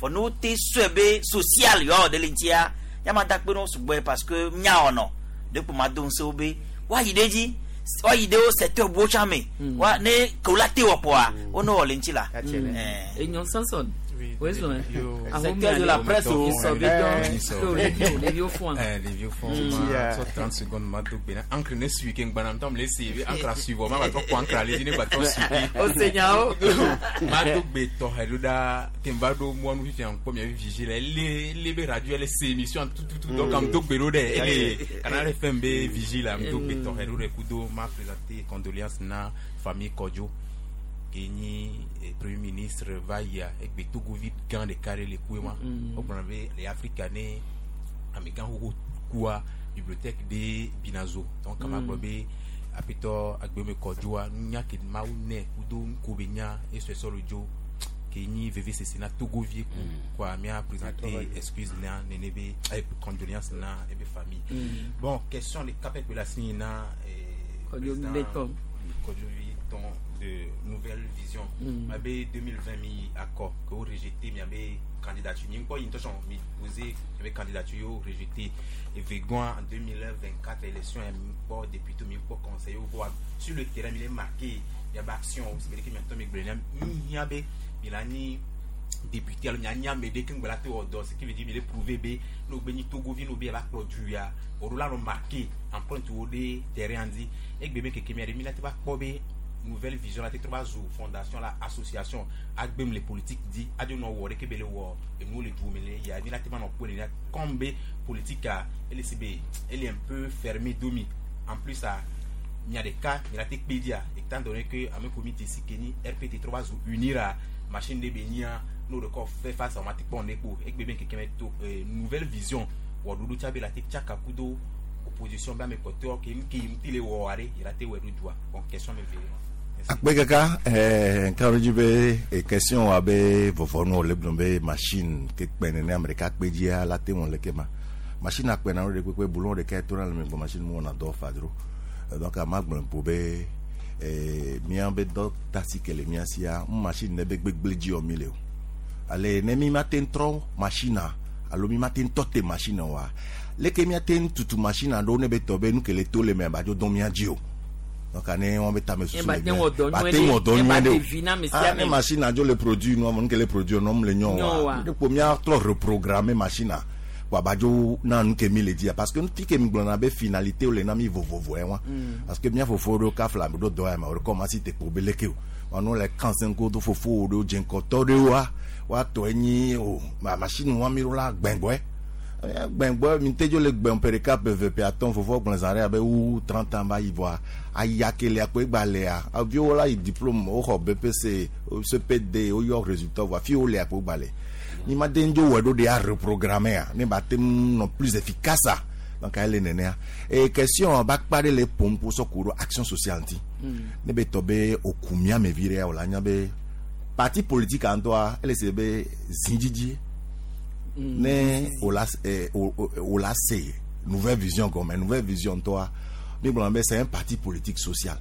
fɔ ne wote sɔe be social yɔ ɖe le ŋutia yama da kpe ne wo sugbɔe parce que nya wɔnɔ ɖe kpo ma do ŋusẽ wo be woayi ɖe dzi woayi ɖe wo secteur buwo tsã me wa ne ke wo la te wɔ kpɔa wo ne wɔ le ŋuti la. Enyo Samson. Oui, Secteur de la presse au les vieux fonds. Les vieux fonds, trente secondes, ma do bena. Encre ne suit qu'un banam tam les suivi, encre à suivre, ma va trop encre aller, ne va trop suivi. Au Seigneur. Ma do be to heluda, kemba do moi nous vivons comme il y avait vigile, les les be radio les émissions tout tout tout donc am do be rode, les Canal F M B vigile am do be to heluda kudo m'a présenté condoléances na famille Kodjo. Kenyi premier ministre Vaya egbe Togo vi gan de carré le kouema o gbona be les africains amigan ho kuwa bibliothèque de Binazo donc kama mm. be apito agbeme Kodjoa nya ke maune kudo nkobe nya et ce solo jo Kenyi V V C C na Togo vie quoi mia présenter excuse na nenebe condoléances na et be famille. Mm. Bon question de capet la na Kodjo Kodjo de nouvelle vision. Mm. M'avait deux mille vingt mis accord que vous rejetez, mais avait candidature. Mi encore une mi posé, avait candidature rejeté. Et Végoin en deux mille vingt-quatre élection, il y a mis pas député, mi pas conseiller, voir sur le terrain, il est marqué, il y a action, c'est vrai que maintenant mi il y avait il a ni député, alors il y a ni amédé qui ngala te odo, ce qui veut dire il est prouvé be no beni Togo vi no be va produire, on l'a remarqué empreinte au terrain dit et bébé que que mi la te va kobe nouvelle vision la te trois fondation la association agbem les politiques dit adio no wo ke bele wo et nous les dumele ya ni la te non ko ni comme politique a elle est elle est un peu fermée domi en plus à il y a des cas il a te pédia étant donné que à mes comité ici Kenny R P T trois unir à machine de bénia nous record fait face à matique bon neko et bébé que to nouvelle vision wo dudu tchabe la te tchaka kudo opposition ba mes côtés qui qui le wo are il a te we du bon question me vient. Akpe kaka eh nkaroji be e question abe vovonu le blombe machine ke kpene ne Amerika kpejia la te won le ke ma machine akpe na re pepe boulon de ke tourna le me machine mo na do fadro donc a ma gbon po be eh mi an be do tasi ke le mi asia machine ne be gbegble ji o mi le o ale ne mi matin tro machine alo mi matin tote machine wa le ke mi atin tutu machine do ne be to be nu ke le to le me ba jo don mi aji o. Donc année on va tamer sous les ah les machines a le produit nous on que les produits non le nyon de première trop reprogrammer machine quoi bajo na nous que mi le dire parce que nous pique mi glona be finalité ou les nami vovo vovo parce que bien fofo do kafla do do ma recommence te pour beleke on nous les quinze do fofo do jenkoto de wa wa to enyi o ma machine wa mi la gbengwe gbẹ̀ngbọ́ mi tẹ́jọ́ lè gbẹ̀n pẹ̀rẹ̀ká pẹ̀fẹ̀pẹ̀ àtọ́n fòfò gbọ̀nzàrẹ́ abẹ́ wú trente ans báyìí bọ́ ayakele àpò ìgbàlẹ̀ à àbí wọ́n láyé diplôme ó xɔ B P C C P D ó yọ résultat wà fi ó lè àpò ìgbàlẹ̀ ní ma den dzo wẹ̀ ɖo de a reprogrammer à ní ba te nɔ plus efficace à donc ayé le nene à et question ba kpa ɖe le pompo sɔ ko ɖo action sociale ŋuti ne be tɔ be okumia me vi ɖe o la nya be parti politique ŋutɔa ele se be zindzidzi. Ne o la eh, o, o la se nouvelle vision comme nouvelle vision toi mais bon c'est un parti politique social,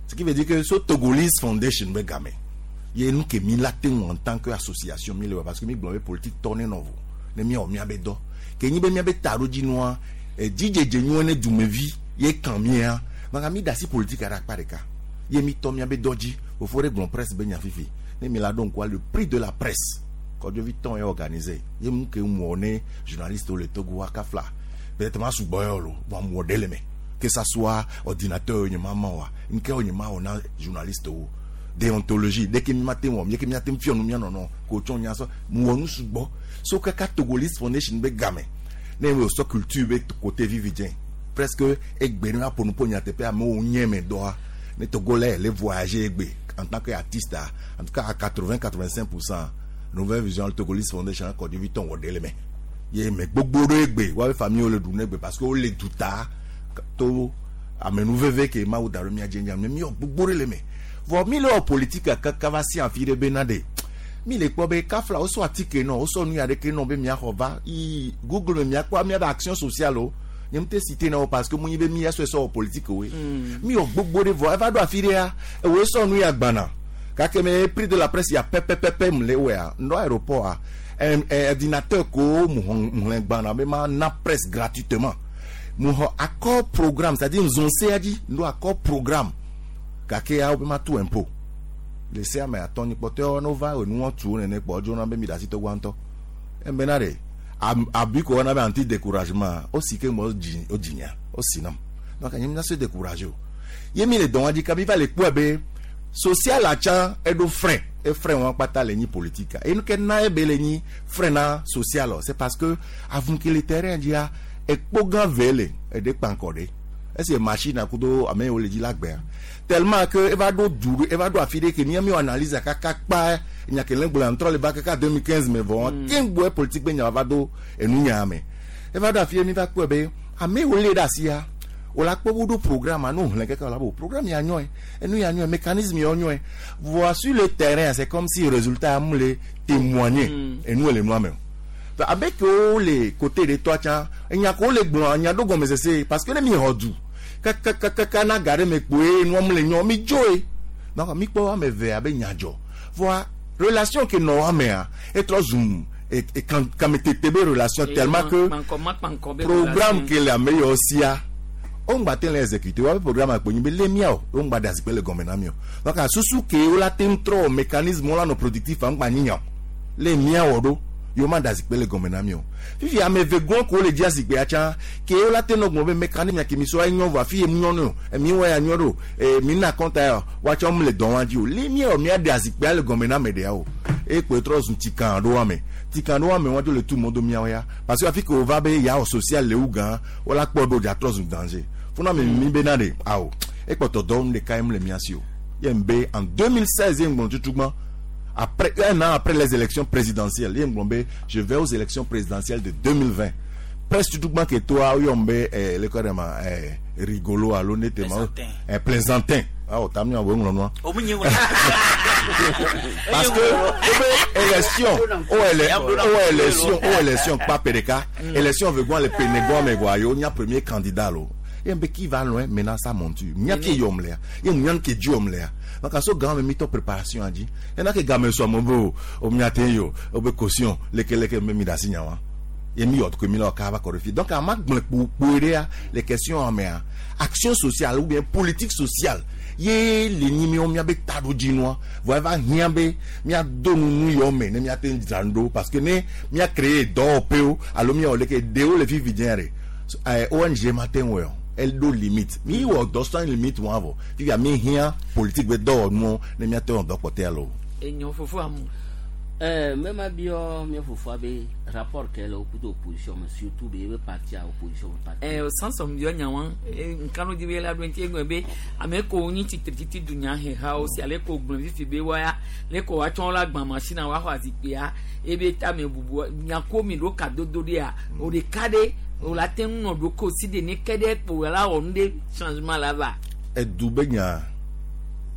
ce qui veut dire que ce Togolese Foundation be gamé il y a nous qui mi la en tant que association mi le parce que mi bon politique tourner nouveau ne mi o mi abedo ke ni be mi abe taro di noa e dj nyu ne dumevi ye kan mi a donc mi dasi politique ara pa de ka ye mi to mi abedo di au faut régler presse be nya fifi ne mi la donc quoi le prix de la presse quand je vis temps est organisé il y a que moi journaliste au Togo akafla peut-être ma sous boyolo bon modèle mais que ça soit ordinateur ni maman wa nke oni ma ona journaliste o déontologie dès que mi matin wo mi que mi atem fionu mi non non ko tchon nya so mo nu sugbo so kaka Togolese Foundation be game ne we so culture be côté vividien presque egbe na pour nous pour nya tepe mo nye me doa ne Togolais les voyager egbe en tant qu'artiste en tout cas à quatre-vingts quatre-vingt-cinq pour cent Nouvelle Vision Togolese Foundation Kɔdzovi tɔn wɔ ɖe le me ye me gbogbo ɖo egbe woabe famille wo le ɖu ne egbe parce que wo le duta to amenuveve ke Mawu da ɖo mía dzi nya me mi wɔ gbogbo ɖe le me vɔ mi le wɔ politique kaka va si afi ɖe bena ɖe mi le kpɔ be kafla wosɔ atike nɔ wosɔ nu ya ɖeke nɔ be miaxɔ va yi Google me miakpɔ miabe action sociale o nye ŋute cité na wo parce que mu nyi be mi sɔe sɔ wɔ politique woe mi wɔ gbogbo ɖe vɔ eva ɖo afi ɖea ewoe sɔ nu ya gbana gake me prix de la presse ya pɛpɛpɛpɛ mu le wɔa ŋdɔ aéroport a ordinateur ko mu xlẽ gbana be ma na presse gratuitement mu xɔ accord programme c'est à dire nzɔnsea dzi ŋdɔ accord programme gake ya wo be ma tu impôt le sea me atɔ ni kpɔtɔewo ne wova enuwɔ tu wo nene kpɔ edzona be mi ɖe asi tɔgba ŋutɔ embena ɖe abi ko wɔna be anti découragement o si ke ŋgbɔ dzi o dzinya o si nam donc nye mi na se découragé o ye mi le dɔn wa dzi kabi va le kpɔe be social atsa eɖo frein e frein wɔn kpata le nyi politique enu ke na ebe le nyi frein na social o c'est parce que avunke le terrain dzia ekpo gã ve le eɖe kpankɔ ɖe esi machine akudo ame yiwo le dzi la gbea tellement que eva ɖo du eva ɖo afi ɖe ke mía mi wɔ analyse kaka kpa nya ke le gblɔ ŋtrɔ le va kaka deux mille quinze me vɔ keŋgbɔe politique be nya va do enu nya me eva ɖo afi ɖe mi va kpɔe be ame yiwo lé ɖe asia wòle akpɔ wo ɖo programme anu hlẽ keke wòle abo programme ya nyɔe enu ya nyɔe mécanisme ya nyɔe voa sur le terrain c'est comme si résultat mu le témoigner enu le nua me o abe ke wo le côté de tɔa tsã enya ko wo le gblɔ nya ɖo gɔmesese parce que ne mi xɔ du kakakaka na ga ɖe me kpoe nua mu le nyɔ mi dzoe donc mi kpɔ ame eve abe nya dzɔ voa relation ke nɔ amea etrɔ zum e kametete be relation tellement que programme ke le ame yawo sia o ŋgba te le exécuter wa be programme akpo nyi be le mia o o ŋgba de asikpe le gɔme na mi o donc asusu ke wo la te ŋu trɔ mécanisme wo la nɔ productif ŋgba nyinya o le mia wɔ ɖo yewo ma da asikpe le gɔme na mi o fifi ame eve gɔn ko le dzi asikpea tsã ke wo la te nɔ gblɔ be mécanisme ke mi sɔ enyɔ vɔ afi ye mu nyɔ no emi wɔ ya nyɔ ɖo ee mi na kɔnta ya woatsɔ mu le dɔn wa dzi o le mia wɔ mia de asikpea le gɔme na ame ɖea o ekpo trɔ zu tikan ɖo ame tikan ɖo ame wɔn dzo le tu mɔ do miawo ya parce que afi ke wo va be ya wɔ social le wu gã wo la kpɔ ɖo dza trɔ zu danger funa mi mi be na de awo ekpɔtɔ dɔ nu ɖeka ye mu le mia si o ye be en deux mille seize ye ŋgblɔ tutugbã après un an après les élections présidentielles ye ŋgblɔ be je vais aux élections présidentielles de deux mille vingt presque tutugbã ke toa woyɔm be eh, le kɔ ɖe ma eh, rigolo alo ne te ma eh, plaisantin awo ta mi wo ŋlɔ nua parce que o be élection o ele o élection o élection kpa pe ɖeka élection vegbɔn le penegbɔn me goa yewo nya premier candidat lo ye be qui va loin maintenant sa monture mia ke yom lea ye mia ke diom lea donc aso gan me mito préparation adi et na ke game so mo bo o mia te yo o be caution leke leke me mi da sinya wa ye mi yot ko mi la ka va ko donc a ma gble kpo kpo rea les questions amea action sociale ou bien politique sociale ye le ni mi o mia be tado dinoa voa va hiã be mia do nu nu yɔ me ne mia te dzrando parce que ne mia créer dɔwɔƒewo alo mia wɔ leke ɖewo le fifi dzẽ ɖe O N G ma te ŋu wɔ elle do limite mi wɔ dɔ sans limite wɔn avɔ fifia mi hiã politique be dɔwɔnuwo ne mia te wɔ dɔ kpɔtɛ alo. Enyo fofo amu. Euh, même abio mi fofoa be rapport ke le okudo opposition mais surtout be be parti à opposition parti. Eh o sans om bio nyawa nkanu di be la do nti egbe be ame ko nyi titri dunya he ha o si ale ko gbon fifi be wa ya le ko wa tson la gban machine wa ho azikpe ya e be ta me bubu nya ko mi do ka dodo de a o de ka de o la te nu do ko si de ni kede po la o nde changement là va. E du be nya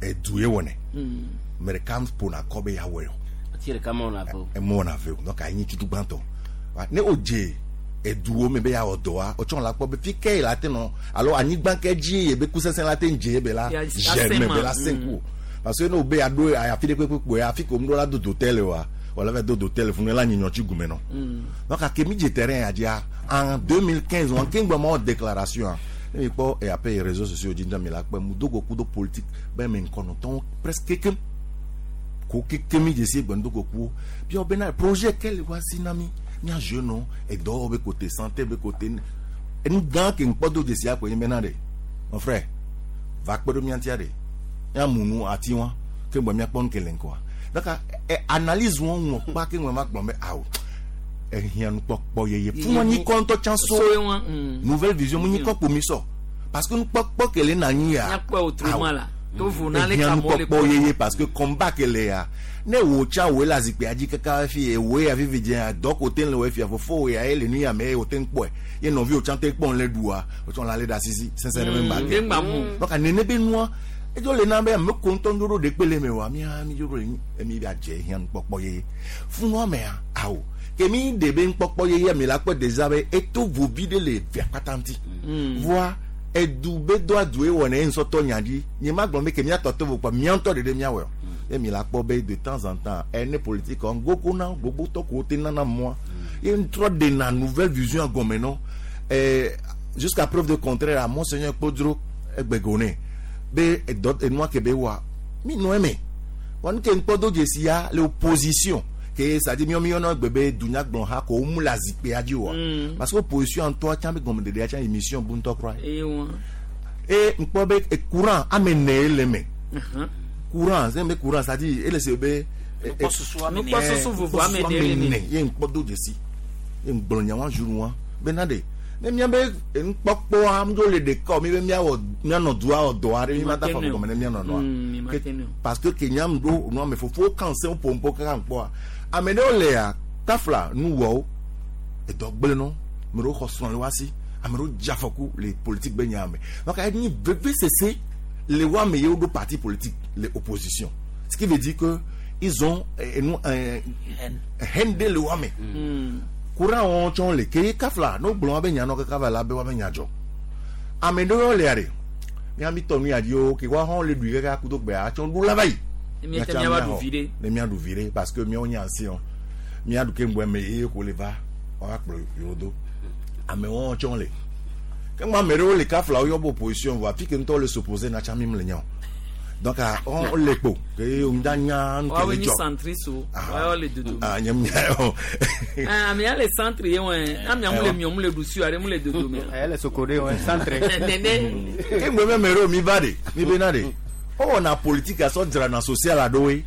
e du ye wone. Mais kam pona ko be ya wo. Tire kama on a fait. Et moi on a fait. Donc ayi tutu gbanto. Ne oje eduwo me be ya odoa o tson la po be fike la te no. Alors anyi gban ke ji e be kusese la te nje be la. Germe be la cinq parce que no be ado aya fi de pe pe ya fi ko mdo la do d'hôtel wa. Wala ve do d'hôtel fun la nyinyo ti gume no. Donc a ke mi je terrain a dia en deux mille quinze on kengba mo déclaration. Ne mi po e après réseaux sociaux jinja mi la pe mu dogo kudo politique be me nkono ton presque que ko keke mi jesi gbendo ko ku bi obena projet quel voici nami mi jeune et do be côté santé be côté en gan ke npodo jesi apo yin bena de mon frère va kpedo mi antia de ya munu ati won ke gbo mi apon ke len ko donc analyse won won pa ke won ma gbon be awo e hian nu popo yeye fún won ni konto chanso nouvelle vision mu ni ko po mi so parce que nu popo ke le na yin ya ya po autrement là Ehiã nukpɔkpɔ yeye parce que combat ke le ya ne wo tsã woe le azikpuia dzi kaka hafi ewoe ya vivi dze dɔ ko te le wo fia fofo ya ye le nu ya me ye wo te kpɔe ye nɔviwo tsã te kpɔm le ɖua wo tsã la le ɖe asisi sɛsɛ ɖe me gba ke donc nene be nua edzo le na be ame ko ŋutɔ ŋɖoɖo ɖe kpe le me wa mía mi dzo ɖo emi be adze hiã nukpɔkpɔ yeye funua mea awo ke mi ɖe be nukpɔkpɔ yeye mi la kpɔ déjà be eto vovi ɖe le via kpata ŋuti voa edu be do adu ewɔ ne nsɔtɔ nya dzi nye ma gblɔ be ke mía tɔ to vo kpɔ mía ŋutɔ ɖeɖe mía wɔ ye mi la kpɔ be de temps en temps ene politique ŋgogo na gbogbo tɔ ko te nana mɔa ye ŋtrɔ ɖena nouvelle vision gɔme nɔ ɛɛ jusqu'à preuve de contraire à monseigneur Kpodro egbego ne be edɔ enua ke be wa mi nɔ eme wa nu ke ŋkpɔ do dzesi ya le opposition ke c'est à dire miɔ miɔ nɔ gbe be dunyagblɔ ha ko mu le azikpuia dzi oa parce que opposition ŋutɔ tsã be gɔmeɖeɖea tsã émission bu ŋutɔ kura ye e ŋkpɔ be courant ame ene ye le me courant c'est be courant c'est à dire ele se be nukpɔsusu vovo ame ene ye le me ye ŋkpɔ do dzesi ye ŋgblɔ nyawa jour wa be na de ne mía be nukpɔkpɔa ŋdzo le ɖeka o mi be míawɔ míanɔ dua wɔ dɔ aɖe mi ma da fɔ gɔme ne míanɔ nɔa parce que ke nyam ɖo nua me fofowo kan se wo ƒomƒo kaka ŋkpɔa ame ɖewo lea tafla nuwɔwo edɔ gblẽ nɔ ame ɖewo xɔ srɔ̃ le wa si ame ɖewo dze afɔku le politique be nya me donc enyi veve sese le wo ame yewo ɖo parti politique le opposition ce qui veut dire que ils ont enu haine ɖe le wo ame courant wɔn tsɔ le ke kafla n'o gblɔ wa be nya nɔ kaka va la be wa be nya dzɔ ame ɖewo lea ɖe mía mi tɔ nu ya dzi o ke wa hɔn le ɖui kaka kudo gbea tsɔ ɖu la va yi ne mía ɖu vi ɖe parce que míawo nye ancien mía ɖu ke ŋgbɔ me ye ko le va wa kplɔ yewo do amewo tsɔ le ke ŋgbɔ ame ɖewo le kafla wo yɔ be opposition vɔ afi ke ŋutɔ le s'opposer na tsã mi le nya o donc on le kpo ke ŋda nya nu ke le dzɔ centriste o wa le dodo ah nye nya o ah ame ya le centre ye wɔn ame ya mu le miɔ mu le ɖusi aɖe mu le dodo me ele sokode wɔn centre nene ke ŋgbɔ me ame ɖewo mi va de mi be na de owɔna politique asɔ dzrana social aɖewoe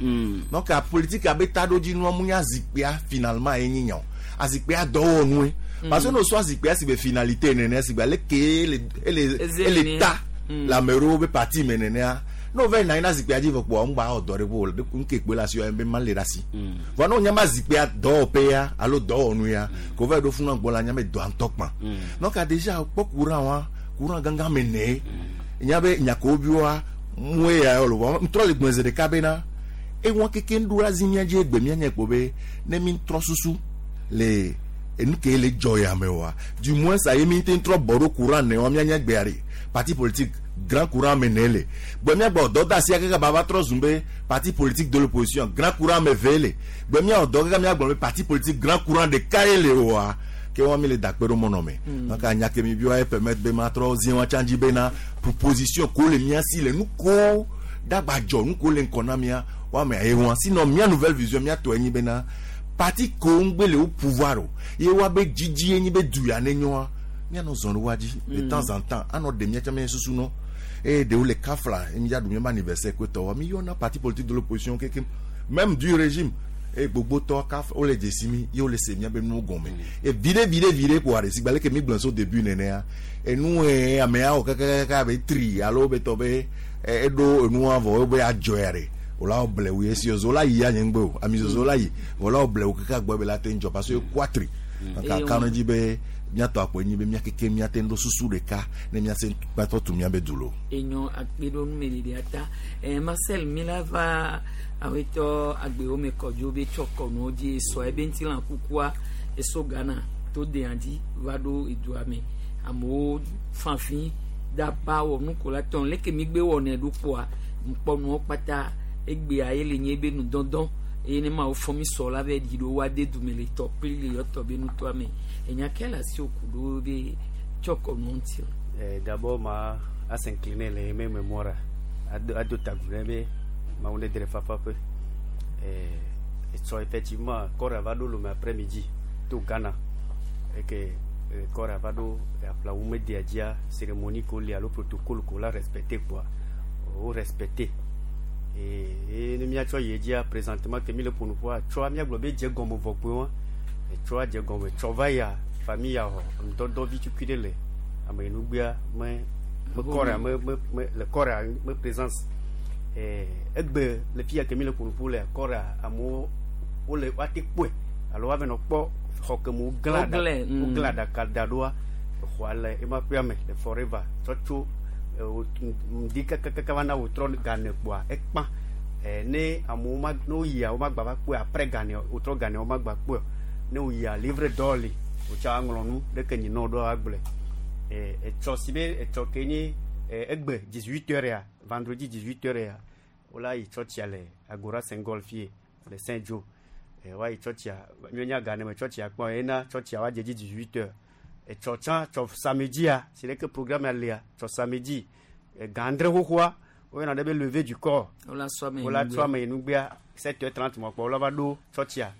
donc a politique abe taɖodzinua mu nye azikpuia finalement ye nyi nya o azikpuia dɔwɔnue parce que n'o sɔ azikpuia si be finalité nene si be ale ke ele ele ele ta le ame ɖewo be parti me nenea n'o va yina na zikpuia dzi vɔ kpoa ŋgba wɔ dɔ ɖe bo ŋke kpe le asi be ma le ɖe asi vɔ n'o nya ma zikpuia dɔwɔƒe ya alo dɔwɔnu ya ko va yi ɖo funu gbɔ la nya be dɔa ŋutɔ kpã donc a déjà kpɔ courant wa courant gãgã me ne nya be nyakowo bi wa mue ya yɔ lo ŋtrɔ le gbɔn zi ɖeka bena ewọn keke ŋɖo la zi mía dzi egbe mía nye kpo be ne mi trɔ susu le enu ke le dzɔ ya me wa du moins ça ye mi te trɔ bɔ ɖo courant ne wa mía nye gbea ɖe parti politique grand courant me ne le gbɔ mía gbɔ dɔ da asia kaka baba trɔ zum be parti politique de l'opposition grand courant me ve le gbɔ mía dɔ kaka mía gblɔ be parti politique grand courant ɖeka ye le wa ke wa mi le dakpe ɖo mɔnɔ me donc anya ke mi bi wa ye permettre be ma trɔ zi wa tsã dzi bena proposition ko le mía si le nu ko dagba dzɔ nu ko le ŋkɔ na mía wa me aye wa sinon mía nouvelle vision mía tɔ enyi bena parti ko ŋgbe le wo pouvoir o ye wa be dzidzi enyi be du ya ne nyoa mía nɔ zɔn ɖe wa dzi de temps en temps anɔ ɖe mía tsã mía susu nɔ eye ɖewo le kafla mi ya ɖu mía be anniversaire ko tɔ wa mi yɔna parti politique de l'opposition keke même du régime e gbogbo tɔ kaf wole dzesi mi ye wole se mía be nuwo gɔme e viɖe viɖe viɖe kpoa ɖe sigbe aleke mi gblɔ so début nenea enu ye amea wɔ kakakaka be tri alo be tɔ be eɖo enua vɔ be adzɔ ya ɖe wòla wɔ blewu ye si zola yi ya nye ŋgbe o ami zozo la yi wòla wɔ blewu kaka gbɔ be la te ŋdzɔ parce que ekua tri donc aka ne dzi be míatɔ akpɔ enyi be mía keke míate ŋɖo susu ɖeka ne míase kpatɔ tu mía be du lo. Enyo akpe ɖo numeɖeɖea ta eh, Marcel mi la va awetɔ agbewo me kɔdzo be tsɔ kɔnuwo dzi sɔ ebe ŋutilã kukua eso Ghana to dea dzi va ɖo edua me amewo fanfi daba wɔ nukola tɔn leke mi gbe wɔnɛ ɖo kpoa ŋkpɔnuwo kpata egbea ye le nye be nudɔdɔ eye ne ma wo fɔ mi sɔ la be ɖi ɖo wa de dume le tɔ kpli le yɔtɔ be nutoa me enya ke le asi wo ku ɖo be tsɔ kɔnuwo ŋuti. Eh, d'abord ma a s'incliner le me mémoire ado tagu be ma wonde dre fafa pe eh so effectivement corps va do le après-midi to Ghana et que corps va do apla ou media dia cérémonie ko li alo protocole ko la respecter quoi au respecter et et ne mia cho yedia présentement que mi le pour nous voir cho mia globe je gomo vokpo et cho je gomo cho va ya famille ya ho do do vi tu kidele amenugbia me me corps me me le corps me présence Eh egbe le fia ke mi le ƒonuƒo le kɔra amewo wole woate kpɔe alo woave nɔ kpɔ xɔ ke me woglã Woglãe, mm. woglã aɖaka da ɖoa exɔa le ema ƒea me le forever tsɔ tso eh, wo- ŋdi kakakaka va na wòtrɔ gane kpoa ekpã. Eh, ne amewo ma ne woyia womagba va kpɔe après gane wotrɔ gane womagba kpɔe o. Ne woyia livre d'or li wòtsɔ aŋlɔ nu ɖeke nyi ne woɖo agblɔe. Eh, etsɔ si be etsɔ ke nye eh, egbe dix-huit heures ya vendredi dix-huit heures ya wola yi tsɔtsia le Agora Sengol fie le Saint Joe. Eh, woayi tsɔtsia míenya ga ne me tsɔtsia kpɔ ena tsɔtsia woadze dzi dix-huit heures. Etsɔ tsã tsɔ samedia si ɖeke programme ya lia tsɔ samedi eh, ga adre xoxoa woyɔna ɖe be levée du corps. Wola sɔ ame yi wola nugbea. tsɔ ame yi nugbea sept heures trente mɔ kpɔ wola va ɖo tsɔtsia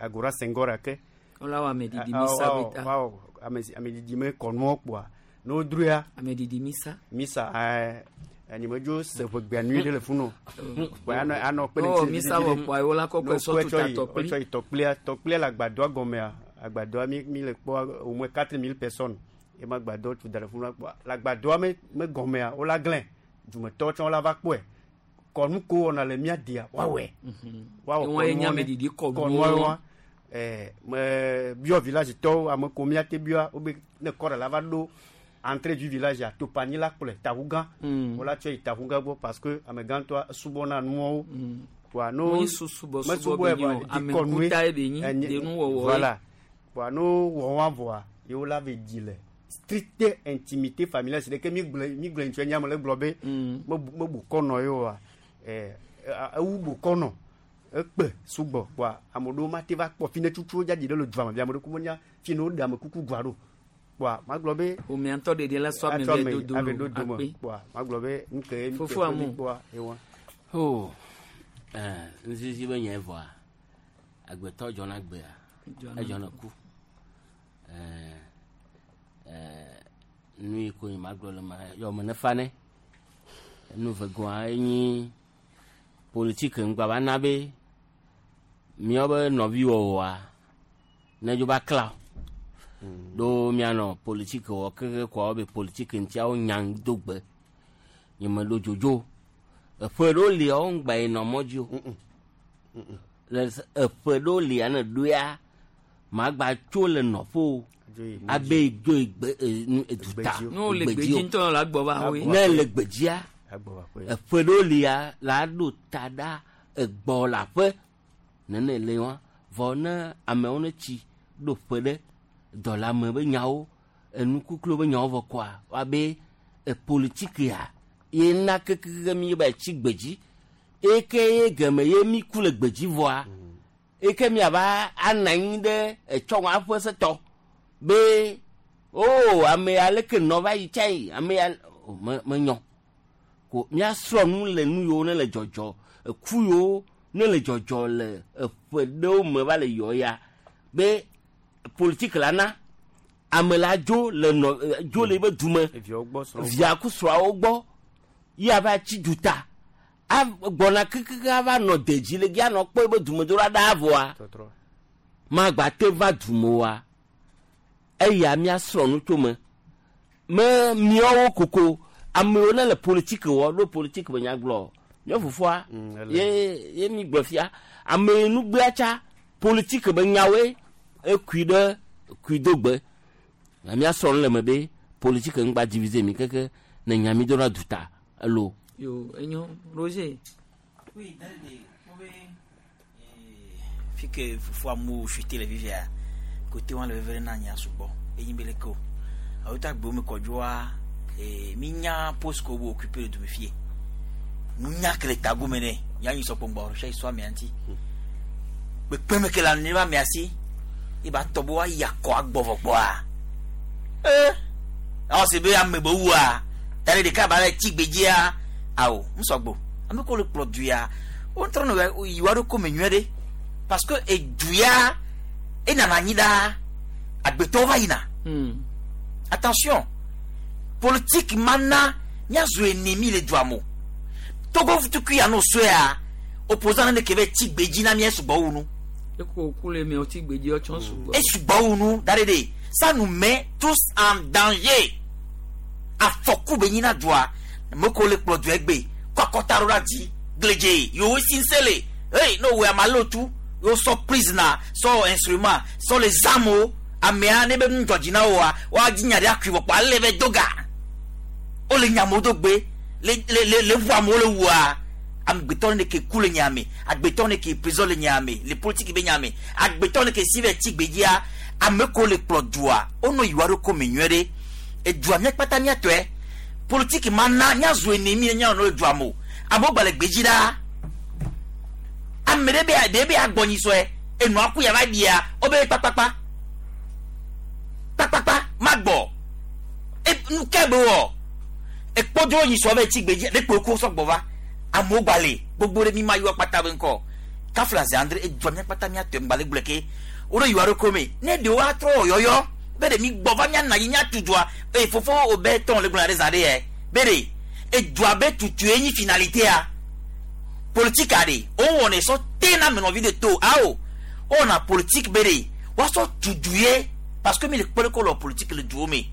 Agora Sengol ake. Wola wɔ ameɖiɖi Ah, misa ah, be ta. ah, ame ameɖiɖi me kɔnuwo kpoa ne wodroea ameɖiɖi misa misa ɛɛ enyimedzo se ʋegbea nyui ɖe le funu kpoa anɔ anɔ kpe ɖe Oh, ŋuti misa vivi wɔ ɖe. kpoa wola kɔkɔe Ne sɔ wokɔe tuta tsɔ yi- tɔkpli. wotsɔ yi tɔkplia tɔkplia le agbadɔa gɔmea agbadɔa mi mi le kpɔ au moins quatre mille personnes ema agbadɔ tu da ɖe funu kpoa le agbadɔa me me gɔmea wola glẽ dumetɔwo tsã wola va kpɔe kɔnu ko wɔna le mía dia woawɔe woawɔ Ewɔn ye nye kɔnuwo ne- ameɖiɖi kɔnuwo. kɔnuwo wa ɛɛ me biɔ village tɔwo ame ko míate biɔa wobe ne kɔra la va ɖo entrée du village a topanyi la kplɔe taʋugã wola tsɔ yi taʋugã gbɔ parce que ame gãtɔa esubɔna nuawo kpoa no Wonyi susubɔsubɔ mesubɔe be nyi o, vɔa, ame dikɔnue ŋkuta ye be nyi, enye- denuwɔwɔe. voilà kpoa no wɔ wa vɔa ye wola ve dzi le stricte intimité familiale si ɖeke mi gblɔ mi gblɔ ŋutsua nyame le gblɔ be mebu mebu kɔnɔ ye oa ɛɛ ewu bu kɔnɔ ekpe sugbɔ kpoa ame ɖewo mate va kpɔ fi ne tutu dzadzi ɖe le dua me via ame ɖe ku menya fi ne woɖe amekuku gua ɖo kpoa magblɔ be ƒomea ŋutɔ ɖeɖe la sɔ ame atsɔ vɛ ame dodo ave ɖo dome akpe. kpoa magblɔ be nu ke ye mi Fofo teƒe amu. mi kpɔa ewa. o ɛɛ nzizi be nye vɔa agbetɔ dzɔna gbea Dzɔna edzɔna ku ɛɛ ɛɛ nu yi ko nye magblɔ le ma yɔ me ne fa ne nu vegoa enyi politike ŋgba va na be míawo be nɔviwɔwɔa ne dzo va kla o ɖo míanɔ politike wɔ keke kɔa be politike ŋutiawo nya do gbe nye me ɖo dzodzo eƒe ɖewo lia wo ŋgba yi nɔ mɔ dzi o le s- eƒe ɖewo lia ne ɖoea magba tso le nɔƒe o abe dzo yi gbe e, nu- eduta Ne wole gbedzi gbedzi o. ŋutɔ la gbɔ va hoe. ne le gbedzia eƒe ɖewo lia la ɖo ta ɖa egbɔ le aƒe nene le wa vɔ ne amewo ne tsi ɖo ƒe ɖe dɔlame be nyawo enukukluwo be nyawo vɔ kɔa woabe e politikia ye na kekeke mi ba tsi gbedzi eke ye geme ye mi ku le gbedzi vɔa eke miava anɔ anyi ɖe etsɔ aƒe setɔ be o ame aleke nɔ va yi tsa yi ame ya o, me menyɔ ko míasrɔ̃ nu le nu yiwo ne le dzɔdzɔ eku yiwo ne le dzɔdzɔ le eƒe ɖewo me va le yɔ ya be politiki la na ame la dzo le nɔ eh, dzo le ebe dume Eviawo gbɔ srɔ̃wo gbɔ. via ku srɔ̃awo gbɔ ye ava tsi duta av- gbɔna kekeke ava nɔ dedzi le gi anɔ kpɔ ebe dumedola ɖaa vɔa Tɔtrɔ. magba te va dume oa eya míasrɔ̃ nu tso me me míawo koko amewo ne le politiki wɔ ɖo politiki be nyagblɔ míawo fofoa ele. ye ye mi gblɔ fia ame nugbea tsa politiki be nyawoe ekui ɖe kui do gbe na míasrɔ̃ nu le me be politiki ŋgba divise mi keke ne nya mi dona duta elo. Yo, enyo, Roger. Oui, Dalde, fi ke fofo amewo fite le fifia kote wa le veve na nya sugbɔ enyi be leke o awo ta gbewo me kɔdzoa ee mi nya poste ko wo occupé le dume fie nunya ke le tagome ne nya nyi sɔkpɔngbɔ sia sɔ amea ŋuti kpekpeme ke le anu va amea si ye ba tɔ be woayi akɔ agbɔ vɔ gbɔa ee awɔ se be ame be wua ta ɖe ɖeka ba le tsi gbedzia awo ŋusɔgbo ame ko le kplɔ du ya wo ŋutɔ nɔ yi wa ɖo kome nyuie ɖe parce que edu ya enana anyi ɖaa agbetɔwo va yina attention politique mana míazu ennemi le dua me o togo tukui ya no sɔea opposant ne ke be tsi gbedzi na mía sugbɔ wu nu Eko ku le miawo tsi gbedzi ɔtsɔ sugbɔ. esugbɔ wu nu da ɖe ɖe ça nous met tous en danger afɔku be nyina dua meko le kplɔ dua egbe Kɔkɔta ɖo ɖe dzi gledze yewo si ŋusẽ le hey ne wòe ama lé tu yewo sɔ prisoner sɔ instrument sɔ le zamewo amea ne be nu dzɔdzi na woa woadzi nya ɖe akui vɔ kpɔ ale be do ga wole nyamewo do gbe le le le le ʋu amewo le wua amegbetɔ ne ke ku le nyame agbetɔ ne ke prison le nyame le politique be nyame agbetɔ ne ke si be tsi gbedzia ame ko le kplɔ dua wonɔ yiwa ɖo ko me nyuie ɖe edua mía kpata míatɔe politique ma na míazu ennemi nya nɔ le dua me o amewo gba le gbedzi ɖaa ame ɖe be ɖe be agbɔ nyisɔe enɔa ku yava ɖia wobe kpakpakpa kpakpakpa magbɔ e nu ke be wɔ ekpɔdzo nyisɔ be tsi gbedzi ɖe kpo ko sɔgbɔ va amewo gba le gbogbo ɖe mi ma yɔ kpata be ŋkɔ kafla zi andre edua mía kpata míatɔe ŋgba le gblɔ ke wo ɖe yiwa ɖo ko me ne ɖewo atrɔ wɔ yɔyɔ be ɖe mi gbɔ va míana yi míatu dua eye fofo wo be tɔn le gblɔ ɖe zã ɖe yɛ be ɖe edua be tutue nyi finalitea politique aɖe wowɔnɛ sɔ te na menɔvi de to awo wowɔna politique be ɖe woasɔ tudu ye parce que mi le kpɔ ɖe ko le politique le duwo me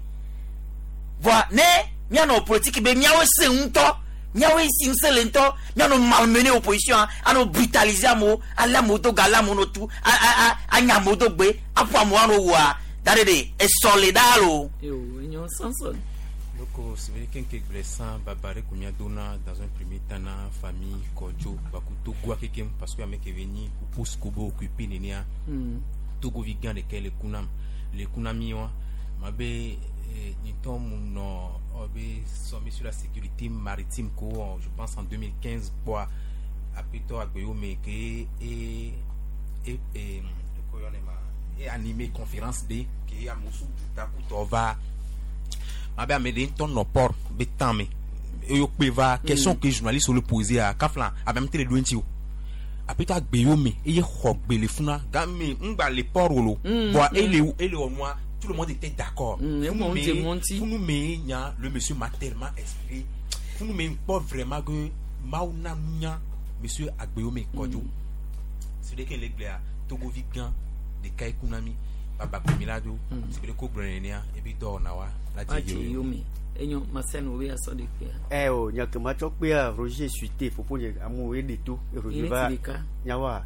voa ne míanɔ politique be míawo se ŋutɔ míawo si ŋusẽ le ŋutɔ míanɔ malmener opposition anɔ brutaliser amewo ale amewo do ga ale amewo no tu a a a anya amewo do gbe aƒo amewo anɔ wua da ɖe ɖe esɔ le ɖaa lo. Yo, enyo Samson. Donc, c'est vrai qu'un blessant babare qu'on a donné dans un premier temps na famille Kodjo baku Togo kekem parce que avec venu pour Kobo occupé nenia Mm. Togo vigan de quel kunam le kunami wa mabe ni tom no obe sommet sur la sécurité maritime ko je pense en deux mille quinze quoi apito agbeyo me ke et et et et animé conférence de ke amosu taku va mabe amede ntɔ nɔ port be tan me eyo kpe va question que journaliste le poser a kafla abe ame te le ɖo ŋuti o apɛtɔ agbe me eye xɔ gbe le funa game ŋgba le port wolo Mm, bon mm. ele ele wɔ nua tout le monde était d'accord Mm, Funu emu me- ŋuti, emu ŋuti. funu me nya le monsieur m'a tellement inspiré funu me kpɔ vraiment que mawu na nunya monsieur agbeyome kɔdzo c'est vrai que le gblea togovi gã ɖeka ekuna mi baba kpemi la do c'est vrai ko gblɔ nenea ebi dɔwɔna wa la Wa dze dze yio yome. Enyo Marcel wo be asɔ de kpea. Eh o nya ke ma tsɔ kpea Roger suite fofo nye amewo ye ɖe to e Roger Yele va ti ɖeka. nyawoa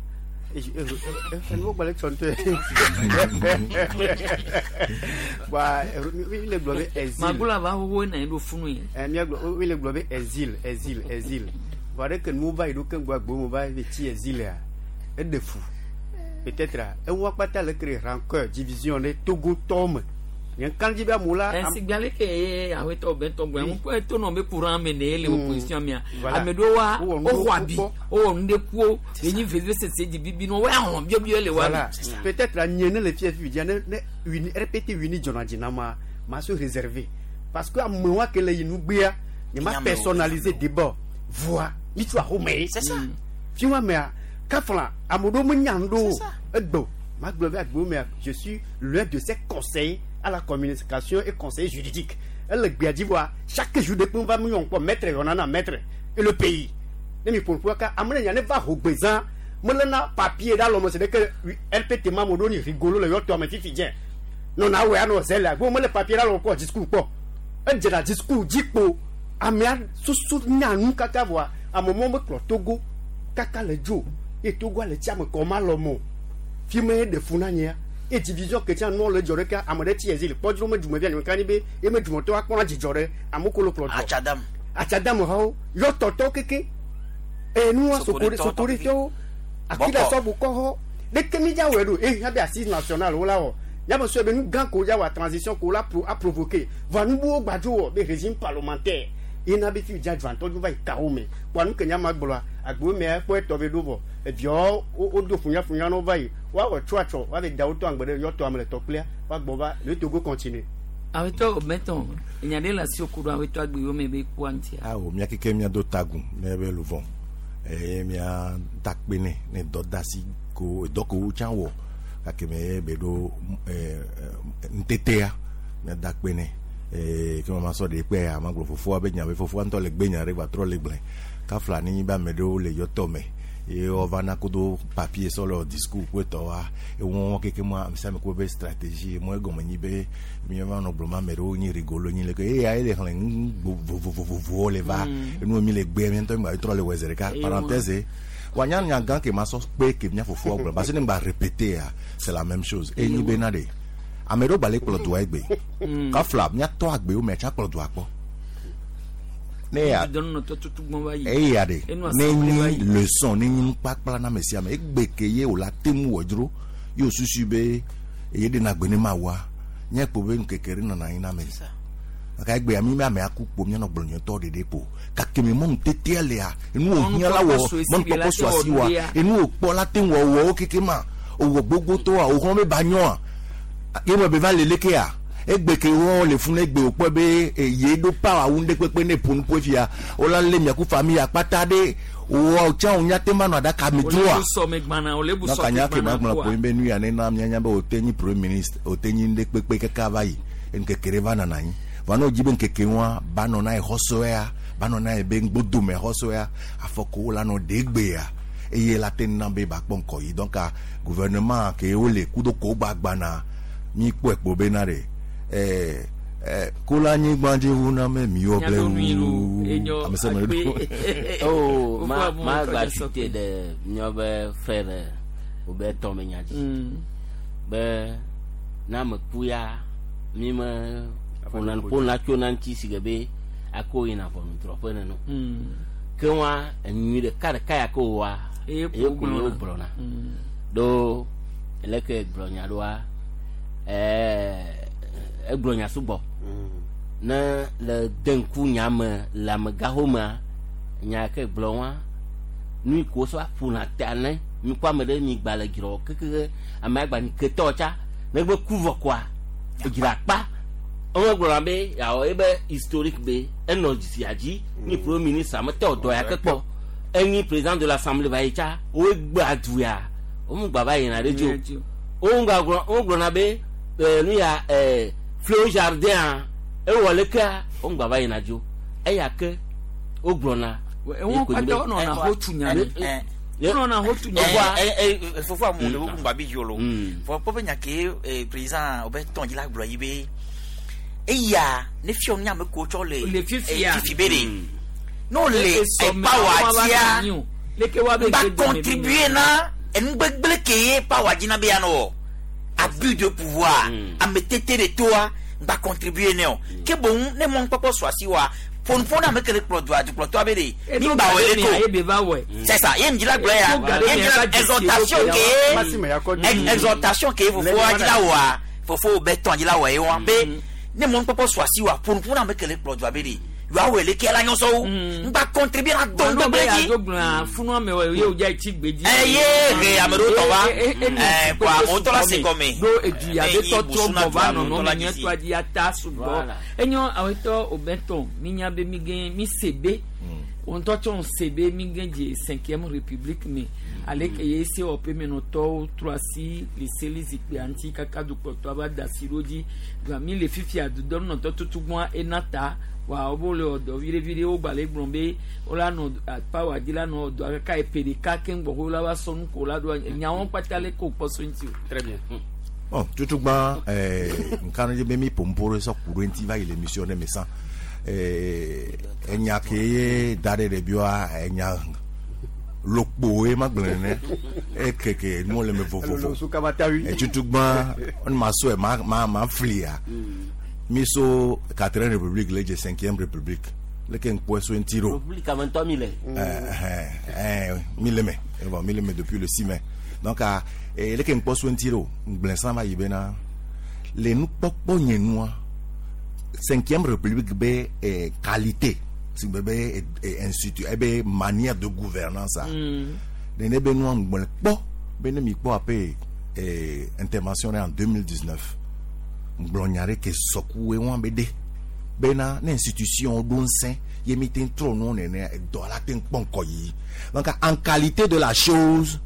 enu gbalẽ tsɔ ŋutɔ wa mi le gblɔ be exil Magula va xoxo na ɖo funu ye. Eh, mía gblɔ mi le gblɔ be exil exil exil vɔ ɖe ke nuwo va yi ɖo ke ŋgɔ agbo mo va be tsi exil-a eɖe fu peut-être a eŋua kpata le kre rancœur division ɖe Togotɔwo me nye kan dzi be amewo la am- Ɛsi gbalẽ ke ye awetɔ bɛntɔ gblɔ ŋu kpɔ eto nɔ be courant me ne ye le opposition mea. Voilà. Ame ɖewo wa Wowɔ nu woxɔ abi wokpɔ. wowɔ nu ɖe kuwo yenyi veve sese dzi bibi nɔ wo ahlɔ̃ biɔbiɔ le wa me. Voilà. Peut-être la nye ne le fia fi dzia ne ne uni R P T uni dzɔna dzi na ma ma se réserver parce que amewoa ke le yi nugbea nye ma Nyame wo, personnaliser débat voa mi tso axome ye. C'est ça. Fi wa mea kafla ame ɖewo menya nu ɖo o egbe ma gblɔ be agbewo mea je suis l'un de ses conseillers à la communication et conseiller juridique ele gbea dzi voa chaque jour de kpe va mi yɔ ŋkpɔ maître yɔna na maître et le pays ne mi ƒoƒu ka ame ɖe nya ne va ho gbezã melena papier ɖe alɔme se ɖe ke R P T ma mo ɖo ni rigolo le yɔtɔ ame fifi dze nɔna awɔe anɔ zɛ le agbo mele papier ɖe alɔme kpɔ discours kpɔ edzena discours dzi kpo amea susu nya nu kaka voa ame mɔ mekplɔ Togo kaka le dzo ye Togoa le tsi ame kɔ ma lɔ mo fi me ɖe fu na nyea ye division ke tsa nua le dzɔ ɖeka ame ɖe tsi exil kpɔdzro me dumevi anyi ka nyi be ye me dumetɔ akpɔna dzidzɔ ɖe amewo ko le kplɔ dɔ Atsadam. atsadame hawo yɔtɔtɔwo keke enua Sokoretɔwo sokoretɔwo akida Bɔkɔ. sɔbu kɔhɔ ɖeke mi dza wɔe ɖo ehiã be assise nationale wo la wɔ yame sɔe be nu gã ko dza wɔ transition ko la pro a provoqué voa nu buwo gbadzo wɔ be régime parlementaire yina be fi dza dzɔntɔ dzo va yi kawo me kpoa nu ke nya ma gblɔa agbewo mea ekpɔ etɔ be ɖo vɔ eviawo wo wo do funyafunya na wo va yi woawɔ tso atsɔ woave da wo tɔ agbe ɖe yɔtɔ ame le tɔkplia woagbɔ va le Togo continue. Awetɔ bɛntɔ enya ɖe le asi ku ɖo awetɔ agbe yome be kua ŋutia. Awo mía keke mía do tagun ne be luvɔ eye mía da kpe nɛ ne dɔ da si ko dɔ ko wo tsã wɔ gake me ye be ɖo ɛ ŋutetea mía da kpe nɛ eye ke ma sɔ ɖe kpe ya ma gblɔ fofoa be nya be fofoa ŋutɔ le gbe nya ɖe gba trɔ le gblẽ kafla ne nyi be ame ɖewo le yɔtɔ me Ye wova na kudo papier sɔ le discours kple tɔwoa ewɔwɔ keke ma ame sia ame kpɔ be stratégie mɔ egɔme nyi be míava nɔ gblɔm ame ɖewo nyi rigolo nyi leke eya ye le xlẽ nu vovovovowo le va enu mi le gbe mi ŋutɔ mi gba trɔ le wɔ zi ɖeka parenthèse wanya nya gã ke ma sɔ kpe ke mía fofoa gblɔ parce que ne ŋgba répéter ya c'est la même chose enyi be na de ame ɖewo gba le kplɔ dua egbe kafla míatɔ agbewo mɛ tsa kplɔ dua kpɔ ne ya eya de ne nyi leçon ne nyi nukpakpla na ame sia ame egbe ke ye wòle te ŋu wɔ dzro ye wòsusu be eye ɖe na gbe ne ma wɔa nye kpo be ŋkeke ɖe nɔna anyi na ame gake egbea mi ame aku kpo mianɔ gblɔ nyɔtɔ ɖeɖe kpo gake mi mɔnu tetea lea enu wòhiã la wɔ mɔnukpɔkpɔ su asi wa enu wòkpɔ la te ŋu wɔwɔ wo keke ma owɔ gbogbotɔa wòxlɔ̃ be ba nyɔa ye me be va le lekea egbe ke wɔ le funu egbe wòkpɔ be ye ɖo pawa wu ŋɖe kpekpe ne ƒo nuƒo fia wola lé miaku famille akpata ɖe wɔ tsã wò nyate ma nɔ aɖaka me droa donc anya ke ma gblɔ kpo be nu ya ne na mianya be wòte nyi premier ministre wòte nyi ŋɖe kpekpe kaka va yi ŋkeke ɖe va nana anyi va ne wòdzi be ŋkeke ŋua ba nɔ na ye xɔsɔea ba nɔ na ye be ŋgbodome xɔsɔea afɔkuwo la nɔ ɖe gbea eye la te na be ba kpɔ ŋkɔ yi donc gouvernement ke wole kudo ko gbagbana mi kpɔe kpo be na ɖe Eh, eh, kola nyigba dzi ʋu na me miwɔ ble wu ame sia ame ɖo. Oh, ma ma gba cité de míaƒe frère wobe tɔ me nya dzi be na ame ku ya mi me ƒona ƒona tso na ŋuti si ke be ako yina ʋɔnudrɔ̃ƒe nene ke wa enyui ɖeka ɖeka ya ke wòwa eye ko ye wogblɔna ɖo leke gblɔ nya ɖoa ɛɛ. Egblɔ nya sugbɔ ne le de ŋku nya me le amegaxo mea nya ke gblɔ wa nu yi ko sɔ ƒona ta ne mi kɔ ame ɖe mi gba le dzrɔ keke ame agba nyi ketɔ tsa negbe ku vɔ koa edzra kpa ewɔ gblɔna be yawɔ ebe historique be enɔ dzisia dzi ni premier ministre ame tɛ wòdɔ ya ke kpɔ enyi président de l'assemblée va yi tsa wo gbe adu ya wo mu gba va yina ɖe dzi o wo gba gblɔ wo gblɔna be nu ya ɛɛ Fléau jardin ewɔ lekea wo ŋgba va yina dzo eya ke wo gblɔna. Ewọn kpata wọn nɔna ho tu nya ne wọn nɔna ho tu nya ne. Fofo amu le wo ŋgba bi dzolo fɔ kpɔ be nya ke président o bɛ tɔn dzi la gblɔ yi be eya ne fiɔ nya me ko tsɔ le le fifia fifi be de n'o le epawa dzia ba contribuer na enugbegble ke ye pawa dzi na be ya nɔ abus de pouvoir ame tete de toa ba contribuer ne o ke bon ne mon papa soit si wa fon na me kele kplɔ doa du kplɔ toa be de ni ba wele ko c'est ça ye njila gblɔ ya ye njila exhortation ke exhortation ke fofo ajila wa fofo be tɔn ajila wa ye wa be ne mon papa soit si wa fon na me kele kplɔ doa be de yóò wele kí ẹlá nyɔsɔ wo n gba contribuer na dɔn gbɛgbɛ dzi. Funu ame wɔ ye o dza etsi gbe dzi. Ɛ ye he ame ɖewo tɔ va ɛ kɔ amewo tɔ la se gɔme. Ɖo edu ya be tɔtrɔ gbɔ va nɔnɔ me nyɔtɔ dzi ata sugbɔ. Enyɔ awetɔ obɛtɔn mi nya be mi gɛ mi se be ŋutɔ tsɔ se be mi gɛ dze cinquième république me ale ke ye se wɔƒe menɔtɔwo trɔ asi le seli zikpui ŋuti kaka dukplɔtɔ va da asi ɖo dzi mi le fifia dudɔnunɔtɔ tutugbɔa ena ta. Wa wo le ɔdɔ viɖe viɖe wo gba le gblɔ be wola nɔ pawa dzi la nɔ ɔdɔ kaka epe ɖeka keŋ gbɔ wo la va sɔ nu ko la do nyawo kpata le ko kpɔ so ŋuti o. Très bien. Bon tutugba ɛɛ nkan dzi be mi ƒomƒo ɖe sɔ ku ɖe ŋuti va yi le émission ɖe me sã ɛɛ enya ke ye da ɖe ɖevioa enya lokpo ye ma gblɔ nene ekeke nuwo le me vovovo tutugba ma sɔe ma ma ma flia. Mi so quatrième république le dze cinquième république leke ŋkpɔe so ŋuti ɖo. République ame ŋutɔ mi le. Ɛɛ mi le me bon mi le me depuis le six mai donc leke ŋkpɔ so ŋuti ɖo ŋgblẽ sã va yi bena le nukpɔkpɔ nye nua cinquième république be eh, qualité si be be eh, institut ebe manière de gouvernance a nene be nua ŋgblẽ kpɔ be ne mi kpɔ ape eh, intervention en deux mille dix-neuf gblɔ nya ɖe ke sɔkuwoe wɔn be de bena ne institution ɖo ŋusẽ ye mi te trɔ nuwo nene dɔ la te kpɔ ŋkɔ yi donc en qualité de la chose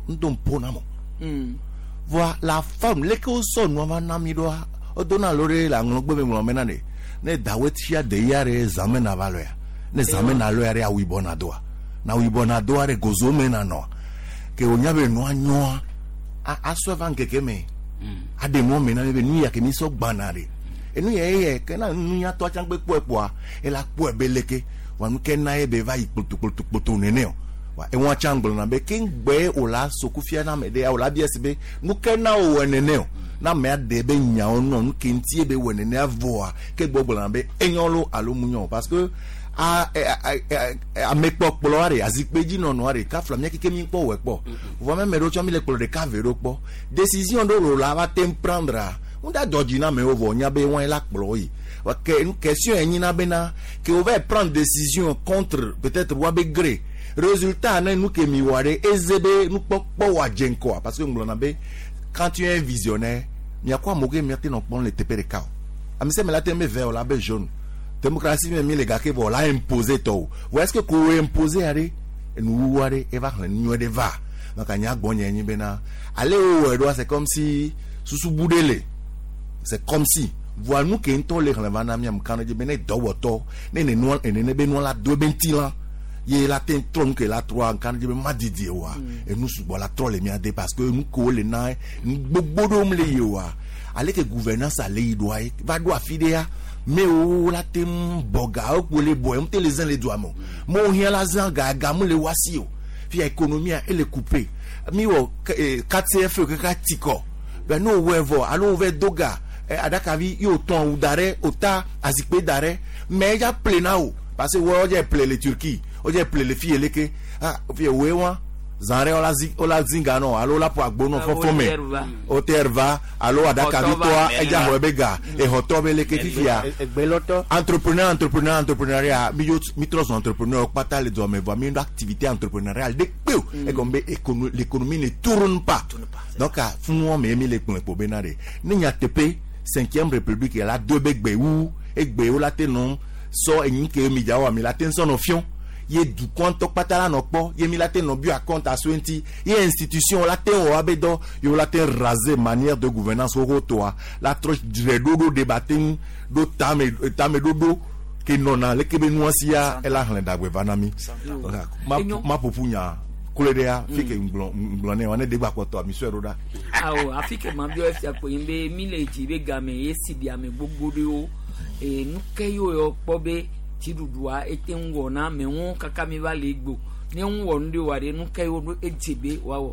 ŋdo ŋpo na mo voa la forme leke wosɔ nua va na mi ɖoa wodona alo ɖe le aŋlɔgbe me ŋlɔ mena ne ne dawe tia de ya ɖe zãme na va lɔya ne zãme na lɔya ɖe awu yibɔ na doa Na wo na do are gozo me na no. Ke o nya be no anyo a asɔ va nkeke me. Ade mo me na be nu ya ke mi so gbana re. Enu ye ye ke na nu ya to achangbe kpo epoa e la kpo ebe leke wa nu ke na ebe va yi kpoto kpoto kpoto nene o. Wa e won achangbo na be ke ngbe o la sokufia na me de o la bi esi nu ke na o we nene o. Na me ade be nya o no nu ke ntie be we nene avoa ke gbogbo na be enyo lo alo munyo parce que a a me kpɔkplɔ are azikpe nɔnɔ are kafla mía keke mi kpɔ wɔ kpɔ vɔ mɛ mɛ ɖo tsɔ mi le kplɔ ɖeka ve ɖo kpɔ décision ɖo lo la va te prendre ŋu da dɔdzi na amewo vɔ nya be wɔn la kplɔ yi ke question ye nyina bena ke o va prendre décision contre peut-être wa be gré résultat ne nu ke mi wɔ ɖe eze be nukpɔkpɔ wa dze ŋkɔa parce que ŋgblɔna be quand tu es un visionnaire miakɔ amewo ke miate nɔ kpɔm le teƒe ɖeka o ame sia ame la te be vert o la be jaune. Démocratie même les gars qui vont la imposer tout. Vous est-ce que qu'on imposer aller nous aller et va nous de va. Donc anya gbonye nyi bena aller où doit c'est comme si sous boudele. C'est comme si voir nous qui nto le relevant na mi am kan de bena do ne ne no ne be no la do bentila. Ye la ten tron que la trois kan de ma didie wa. Et nous sous la trois les miade parce que nous ko le na gbogbo do le ye wa. Aller que gouvernance aller doit va doit fidea mais o la tem boga o le boy on te les uns les doigts mo mo hien la zan ga ga mo le wasi o fi économie elle est coupée mi o quatre C F que ka tiko ben no wevo alo ve doga adakavi yo ton ou d'arrêt ota azikpe d'arrêt mais ya plena o parce que wo je plé les Turquie o je plé les filles leke ah fi we wa zanre ola zi ola zinga no alo la po agbo no fofo me o terva alo adakavi to eja ho bega e hoto be leke fifia entrepreneur entrepreneur entrepreneuriat mi mi tros entrepreneur pata le do me va mi activité entrepreneuriale de peu et comme l'économie ne tourne pas donc a fun won me mi le pon po benare ni nya tepe cinquième république la deux begbe wu egbe o la te non so eyin ke mi jawa mi la te nso no fion ye du compte patala no po ye mi la te no bu compte à sointi ye institution la te o abedo yo la te raser manière de gouvernance au toa la troche dodo débatting do tame tame dodo ke nona le kebe nuasia ela hlen dagbe vanami ma ma popunya kuledea fike nglon nglon ne wane degba koto mi so roda awo afike ma bio fia ko yimbe mi le ji be game ye sidi ame gbogbo de o e nuke yo yo po be tidudua ete ŋgɔ na ame ŋu kaka mi va le gbo ne ŋu nu de wa de nu ke wo do edze be wa wɔ.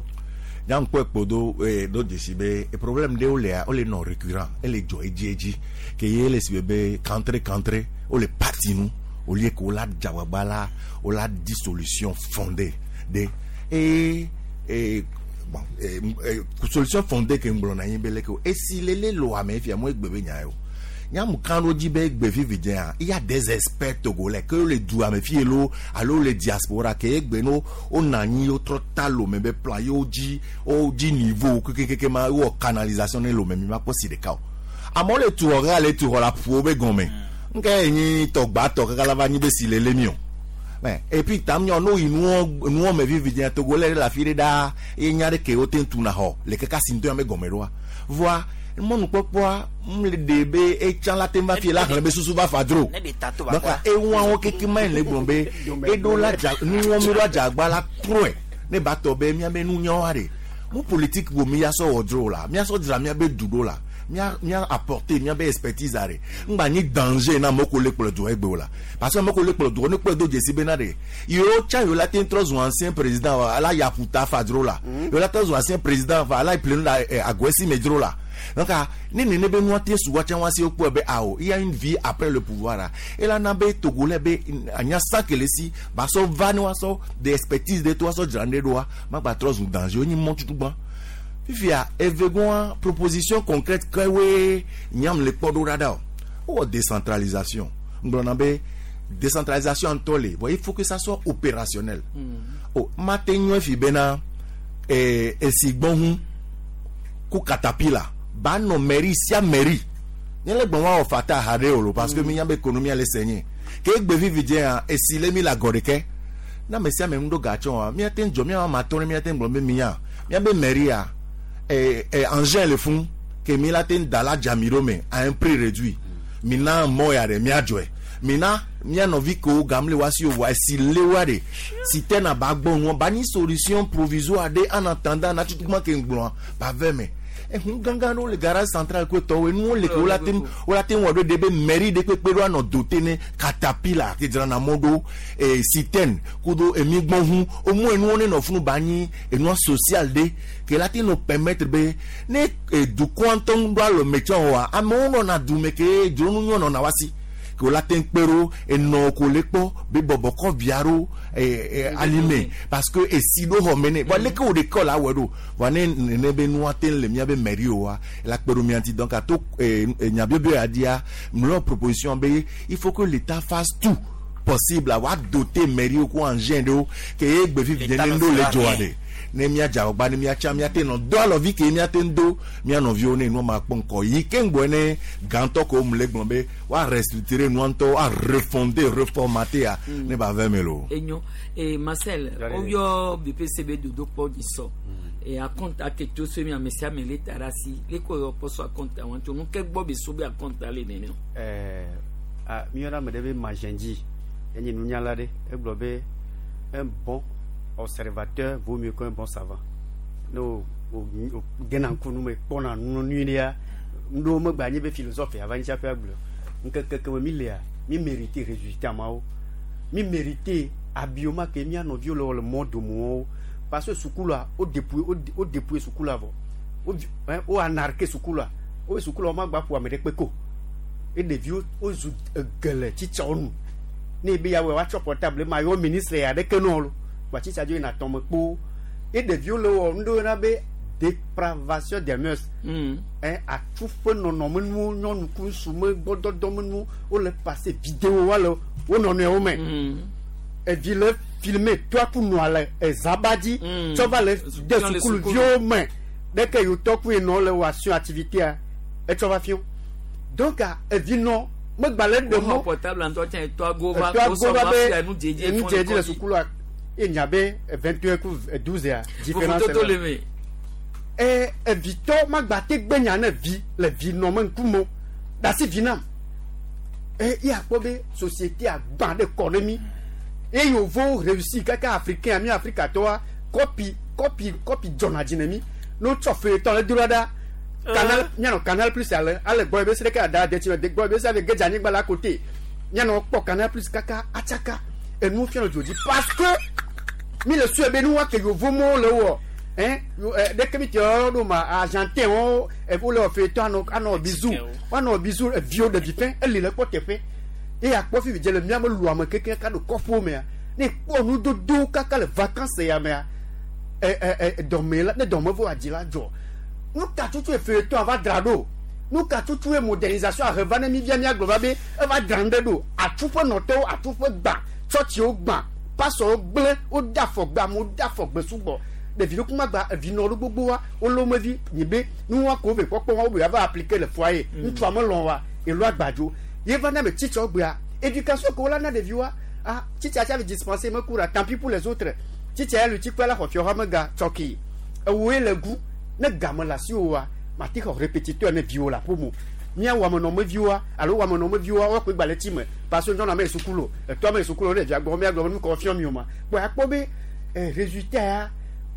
Nyankpɔ ekpodo ee do dzesi be e problème de wo lea wo le nɔ récurrent ele dzɔ edzi edzi ke ye le si be be kantre kantre wo le parti nu au lieu que wo la dzagbagba la wo la di solution fondée de ee ee bon ee solution fondée ke ŋgblɔ na anyi be leke o esi lele lo ame fia mo egbe be nya ye o. Nyamu kan do dzi be egbe vivi dzea il y a des experts togolais que le du ame fie lo alo le diaspora ke egbe no wo na anyi wo trɔ ta lome be plan ye wo dzi wo dzi niveau kekekeke ma wɔ canalisation ne lome mi ma kpɔ si ɖeka o amewo le tu xɔ kaka le tu xɔ la ƒo be gɔme nke enyi tɔgbatɔ kaka la va nyi be si le le mi o mais et puis tam nyɔ no yi nuwɔ nuwɔ me vivi dzea togolais le afi ɖe ɖaa ye nya ɖe ke wo te tu na xɔ le kaka si ŋutɔ ya me gɔme ɖoa voa mɔnukpɔkpɔa m le de be etsã la te va fie la xlẽ be susu va fa dro donc eŋuawo keke ma yi le gblɔ be eɖo la dza nuwɔ mi ɖo adzagba la trɔe ne ba tɔ be miabe nunyawoa ɖe mu politique wo mi ya sɔ wɔ dro la mia sɔ dzra miabe du ɖo la mia mia apporter miabe expertise are ŋgba nyi danger na amewo ko le kplɔ du egbe o la parce que amewo ko le kplɔ du ne kplɔ do dzesi bena ɖe yewo tsa yewo la te trɔ zu ancien président wa ala yakuta fa dro la yewo la trɔ zu ancien président fa ala ple nu la agɔesi me dro la. Donc, ne ne be noa te suwa tsa wa si okpo be awo il y a une vie après le pouvoir là et là na be togolais be anya sakele si ba so va ne wa so des expertise de toi so drande doa ma ba trop danger ni mon tutu ban fifia evegon proposition concrète que we nyam le podo rada o décentralisation nglona be décentralisation en tolé voyez il faut que ça soit opérationnel oh matenyo fi bena eh esigbon ku katapila ba no mairie sia mairie nyele gbon wa ofata hare olo parce que mi nyambe économie ale senye ke egbe vivi je an esile mi la goreke na me sia me ndo gacho a mi aten jo mi ma tore mi aten gbon be mi ya mi be mairie a eh eh engin le fond que mi la ten dala jamiro me à un prix réduit mi na mo ya re mi ajoe Mina mía nɔvi kewo gam le wa si o voa esi le wa de citerne ba gbɔ nua ba nyi solution provisoire ɖe en attendant na tutugba ke ŋgblɔa ba vɛ me ehun gãgã ɖewo le garage central ko tɔwo enuwo le ke wola te wola te wɔ ɖo ɖe be mairie ɖe kpekpe ɖo anɔ dote ne katapila ke dzrana mɔ ɖo ee citerne kudo emigbɔhu omu enuwo ne nɔ funu ba nyi enua social ɖe ke la te nɔ permettre be ne dukɔa ŋutɔ ŋu ɖo alɔ me tsɔ oa amewo nɔna dume ke dzronu nyɔ nɔna wa si ke wola te kpe ɖo enɔ ko le kpɔ be bɔbɔ kɔ via ɖo ee alime parce que esi ɖo xɔ me ne bon leke wo ɖeka la wɔe ɖo voa ne nene be nua te le mía be mairie oa la kpe ɖo mía ŋuti donc ato ee nyabiobio ya dia mlɔ proposition be il faut que l'État fasse tout possible à doter mairie ko engin ɖewo ke ye gbe fifi ne ŋɖo le dzɔa ɖe ne mía dze agbagba ne mía tsa mía te nɔ do alɔvi ke mía te do mía nɔviwo ne nua ma kpɔ ŋkɔ yi ke ŋgbɔ ne gãtɔ ko mu le gblɔ be woa restructurer nua ŋutɔ woa refonder reformater ya ne ba vɛ me lo. Enyo e Marcel oyɔ B P C be dodokpɔ dzi sɔ e akɔnta ke to so mi ame sia ame le ta ɖe asi le ko yɔ kpɔ so akɔnta wɔn tso nu ke gbɔ be so be akɔnta le nene. Ɛɛ a mi yɔna ame ɖe be Magendie enye nunyala ɖe egblɔ be un bon observateur vaut mieux qu'un bon savant. Ne o o o dena ŋku nu me kpɔna nu nyui ɖea ŋɖewo megba nye be philosophe ava ŋuti hafi agblɔ ŋkeke ke me mi lea mi mérite résultat mawo mi mérite habillement ke mía nɔviwo le wɔ le mɔ domewo parce que sukulua wo dépouiller wo wo dépouiller sukulua vɔ wo vi hein wo anarquer sukulua wo be sukulua wo ma gba ƒo ame ɖe kpe ko e ɖeviwo wozu egele tsitsawo nu ne ebe ya wɔ woatsɔ portable ma yɔ ministre ya ɖeke nɔ lo wa tsitsa dzo yina tɔme kpo e ɖeviwo le wɔ ŋɖewo yɔna be dépravation des mœurs hein atsu ƒe nɔnɔmenuwo nyɔnu ku ŋutsu me gbɔdɔdɔmenuwo wole passer vidéo wa le wo nɔnɔewo me evi le filmer toa ku nɔa le ezaba dzi tsɔ va le de sukuluviwo me ɖeke yiwo tɔ ku yenɔ le wɔ asion activité etsɔ va fiɔ donc evi nɔ megba le ɖe mɔ portable ŋutɔ tsã etɔ ago va etɔ ago va be enu dzedze enu dzedze le sukulua ye nya be vingt et un ku douze ya différence vovototo le me. ɛ evitɔ magba te gbe nya ne vi le vi nɔ me ŋkume o dasi vi nam ɛ ye akpɔ be société agbã ɖe kɔ ne mi eye yevowo réussi kaka africain mi afrikatɔwoa kɔpi kɔpi kɔpi dzɔna dzi ne mi ne wotsɔ feuilleton le do ɖa ɖa canal mianɔ Canal Plus ale ale gbɔ ebe se ɖeke ada detsi me gbɔ ebe se ave gedze anyigba la côté mianɔ kpɔ Canal Plus kaka atsaka enu fia le dzo dzi parce que mi le sue be nu wa ke yevo mɔwo le wɔ hein ɖeke mi te yɔ ɖo ma argentin wo wole wɔ feuilleton anɔ anɔ bizu woanɔ bizu eviwo ɖevi fɛn eli le kpɔ teƒe eye akpɔ fifi dze le miame lu ame keke ka ɖo kɔƒewo mea ne kpɔ nudodo kaka le vacances ya mea ɛ ɛ ɛ dɔme la ne dɔme vɔ adzi la dzɔ nu ka tutu feuilleton ava dzra ɖo nu ka tutu modernisation aheva ne mi via miagblɔ va be eva dzra nu ɖe ɖo atsu ƒe nɔtɔwo atsu ƒe gbã tsɔtsiwo gbã pasɔwo gblẽ wode afɔgbe amewo de afɔgbe sugbɔ ɖevi ɖo kuma gba evi nɔ ɖo gbogbo wa wole wo mevi nyi be nu wa ko ve kpɔkpɔ wa wo be va appliquer le foyer ŋutsua melɔ̃ wa elo agbadzo ye va na me tsitsɔ gbea éducation ko wola na ɖevi wa ah tsitsa tsa vi dispenser me ku la tant pis pour les autres tsitsa ya lu tsi kpe la xɔ fiɔ me ga tsɔki ewoe le gu ne game le asi wo wa mati xɔ répétiteur ne viwo le aƒeme mía wɔamenɔmeviwoa alo wɔamenɔmeviwoa woakpe gba le tsi me parce que nyɔnua me yi sukulu etɔa me yi sukulu ne ɖevia gbɔ míagblɔ be nu kɔ fiɔ mi o ma kpɔ akpɔ be eh, résultat ya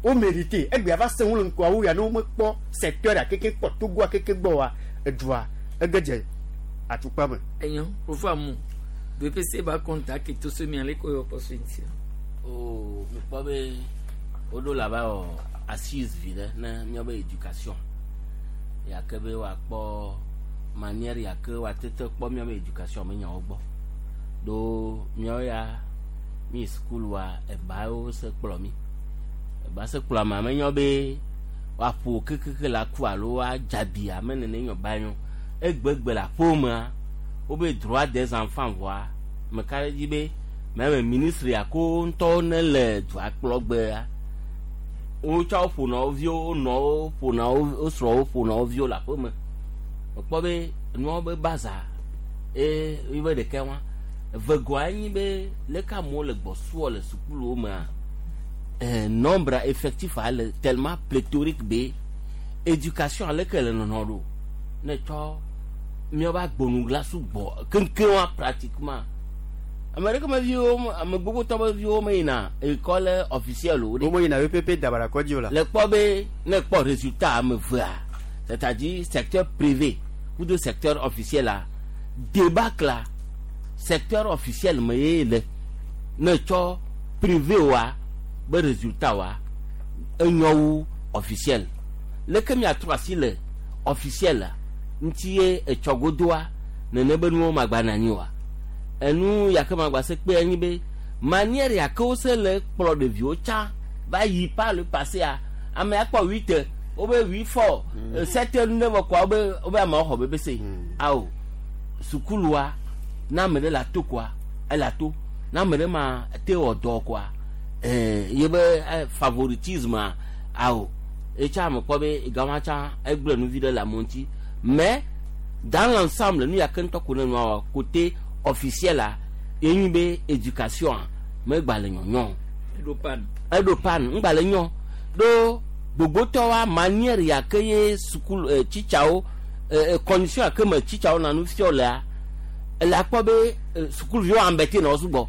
wo mérité egbea va se ŋu le ŋkɔawo ya ne womekpɔ secteur ya keke kpɔ togoa keke gbɔ wa edua ege dze atukpa me. Enyo profa mu B P C ba kɔnta ke to so mi ale ko yɔ kpɔ so ŋuti. O mekpɔ be woɖo la va wɔ assise vi ɖe ne míabe éducation yake be woakpɔ manière yake woatete kpɔ míabe éducation me nyawo gbɔ ɖo míawo ya mi sukulua ebawo se kplɔ mi eba se kplɔ amea menyo be woaƒo kekeke le aku alo woadzabi ame nene nyɔ ba nyɔ egbegbe le aƒewomea wobe droit des enfants vɔa meka ɖe dzi be meme ministre yako ŋutɔwo ne le dua kplɔ gbea wotsɔ woƒona wo viwo wonɔwo ƒona wo wo srɔ̃wo ƒona wo viwo le aƒeme mekpɔ be nuawo be baza eye yibe ɖeka wa evegoa nyi be leke amewo le gbɔsuɔ le sukuluwo mea eh, nombre effectif ale tellement pléthorique be éducation aleke le nɔnɔ ɖo ne tsɔ miaba gbonugla sugbɔ keŋkeŋ wa pratiquement ame ɖeke me viwo ame gbogbo tɔ be viwo me yina école officielle o wo me yina EPP dabara kɔdzi o la. Le kpɔ be ne kpɔ résultat ame evea c'est-à-dire secteur privé kudo secteur officiel la débâcle la secteur officiel me ye le ne tsɔ privé wa be résultat wa enyo wu officiel leke miatrɔ asi le officiel la ŋuti ye etsɔgodoa nene be nuwo magba na anyi wa enu yake magba se kpe anyi be manière yake wo se le kplɔ ɖeviwo tsã va yi par le passé a ame akpɔ huit wobe huit four sept nu ɖe vɔ kɔa wobe wobe amewo xɔ bebe se awo sukulua na ame ɖe le ato koa ele ato na ame ɖe ma te wɔ dɔ koa ɛɛ ye be favoritisme awo etsa ame kpɔ be gama tsã egblẽ nuvi ɖe le amewo ŋuti mais dans l'ensemble nu yake ŋutɔ ko ne nua wɔ côté officiel la ye nyi be éducation megba le nyɔnyɔ eɖo pan eɖo pan ŋgba le nyɔ ɖo gbogbotɔwoa manière yake ye sukulu ɛ tsitsawo ɛ condition yake me tsitsawo na nu fiɔ lea ele akpɔ be sukuluviwo embêté na wo sugbɔ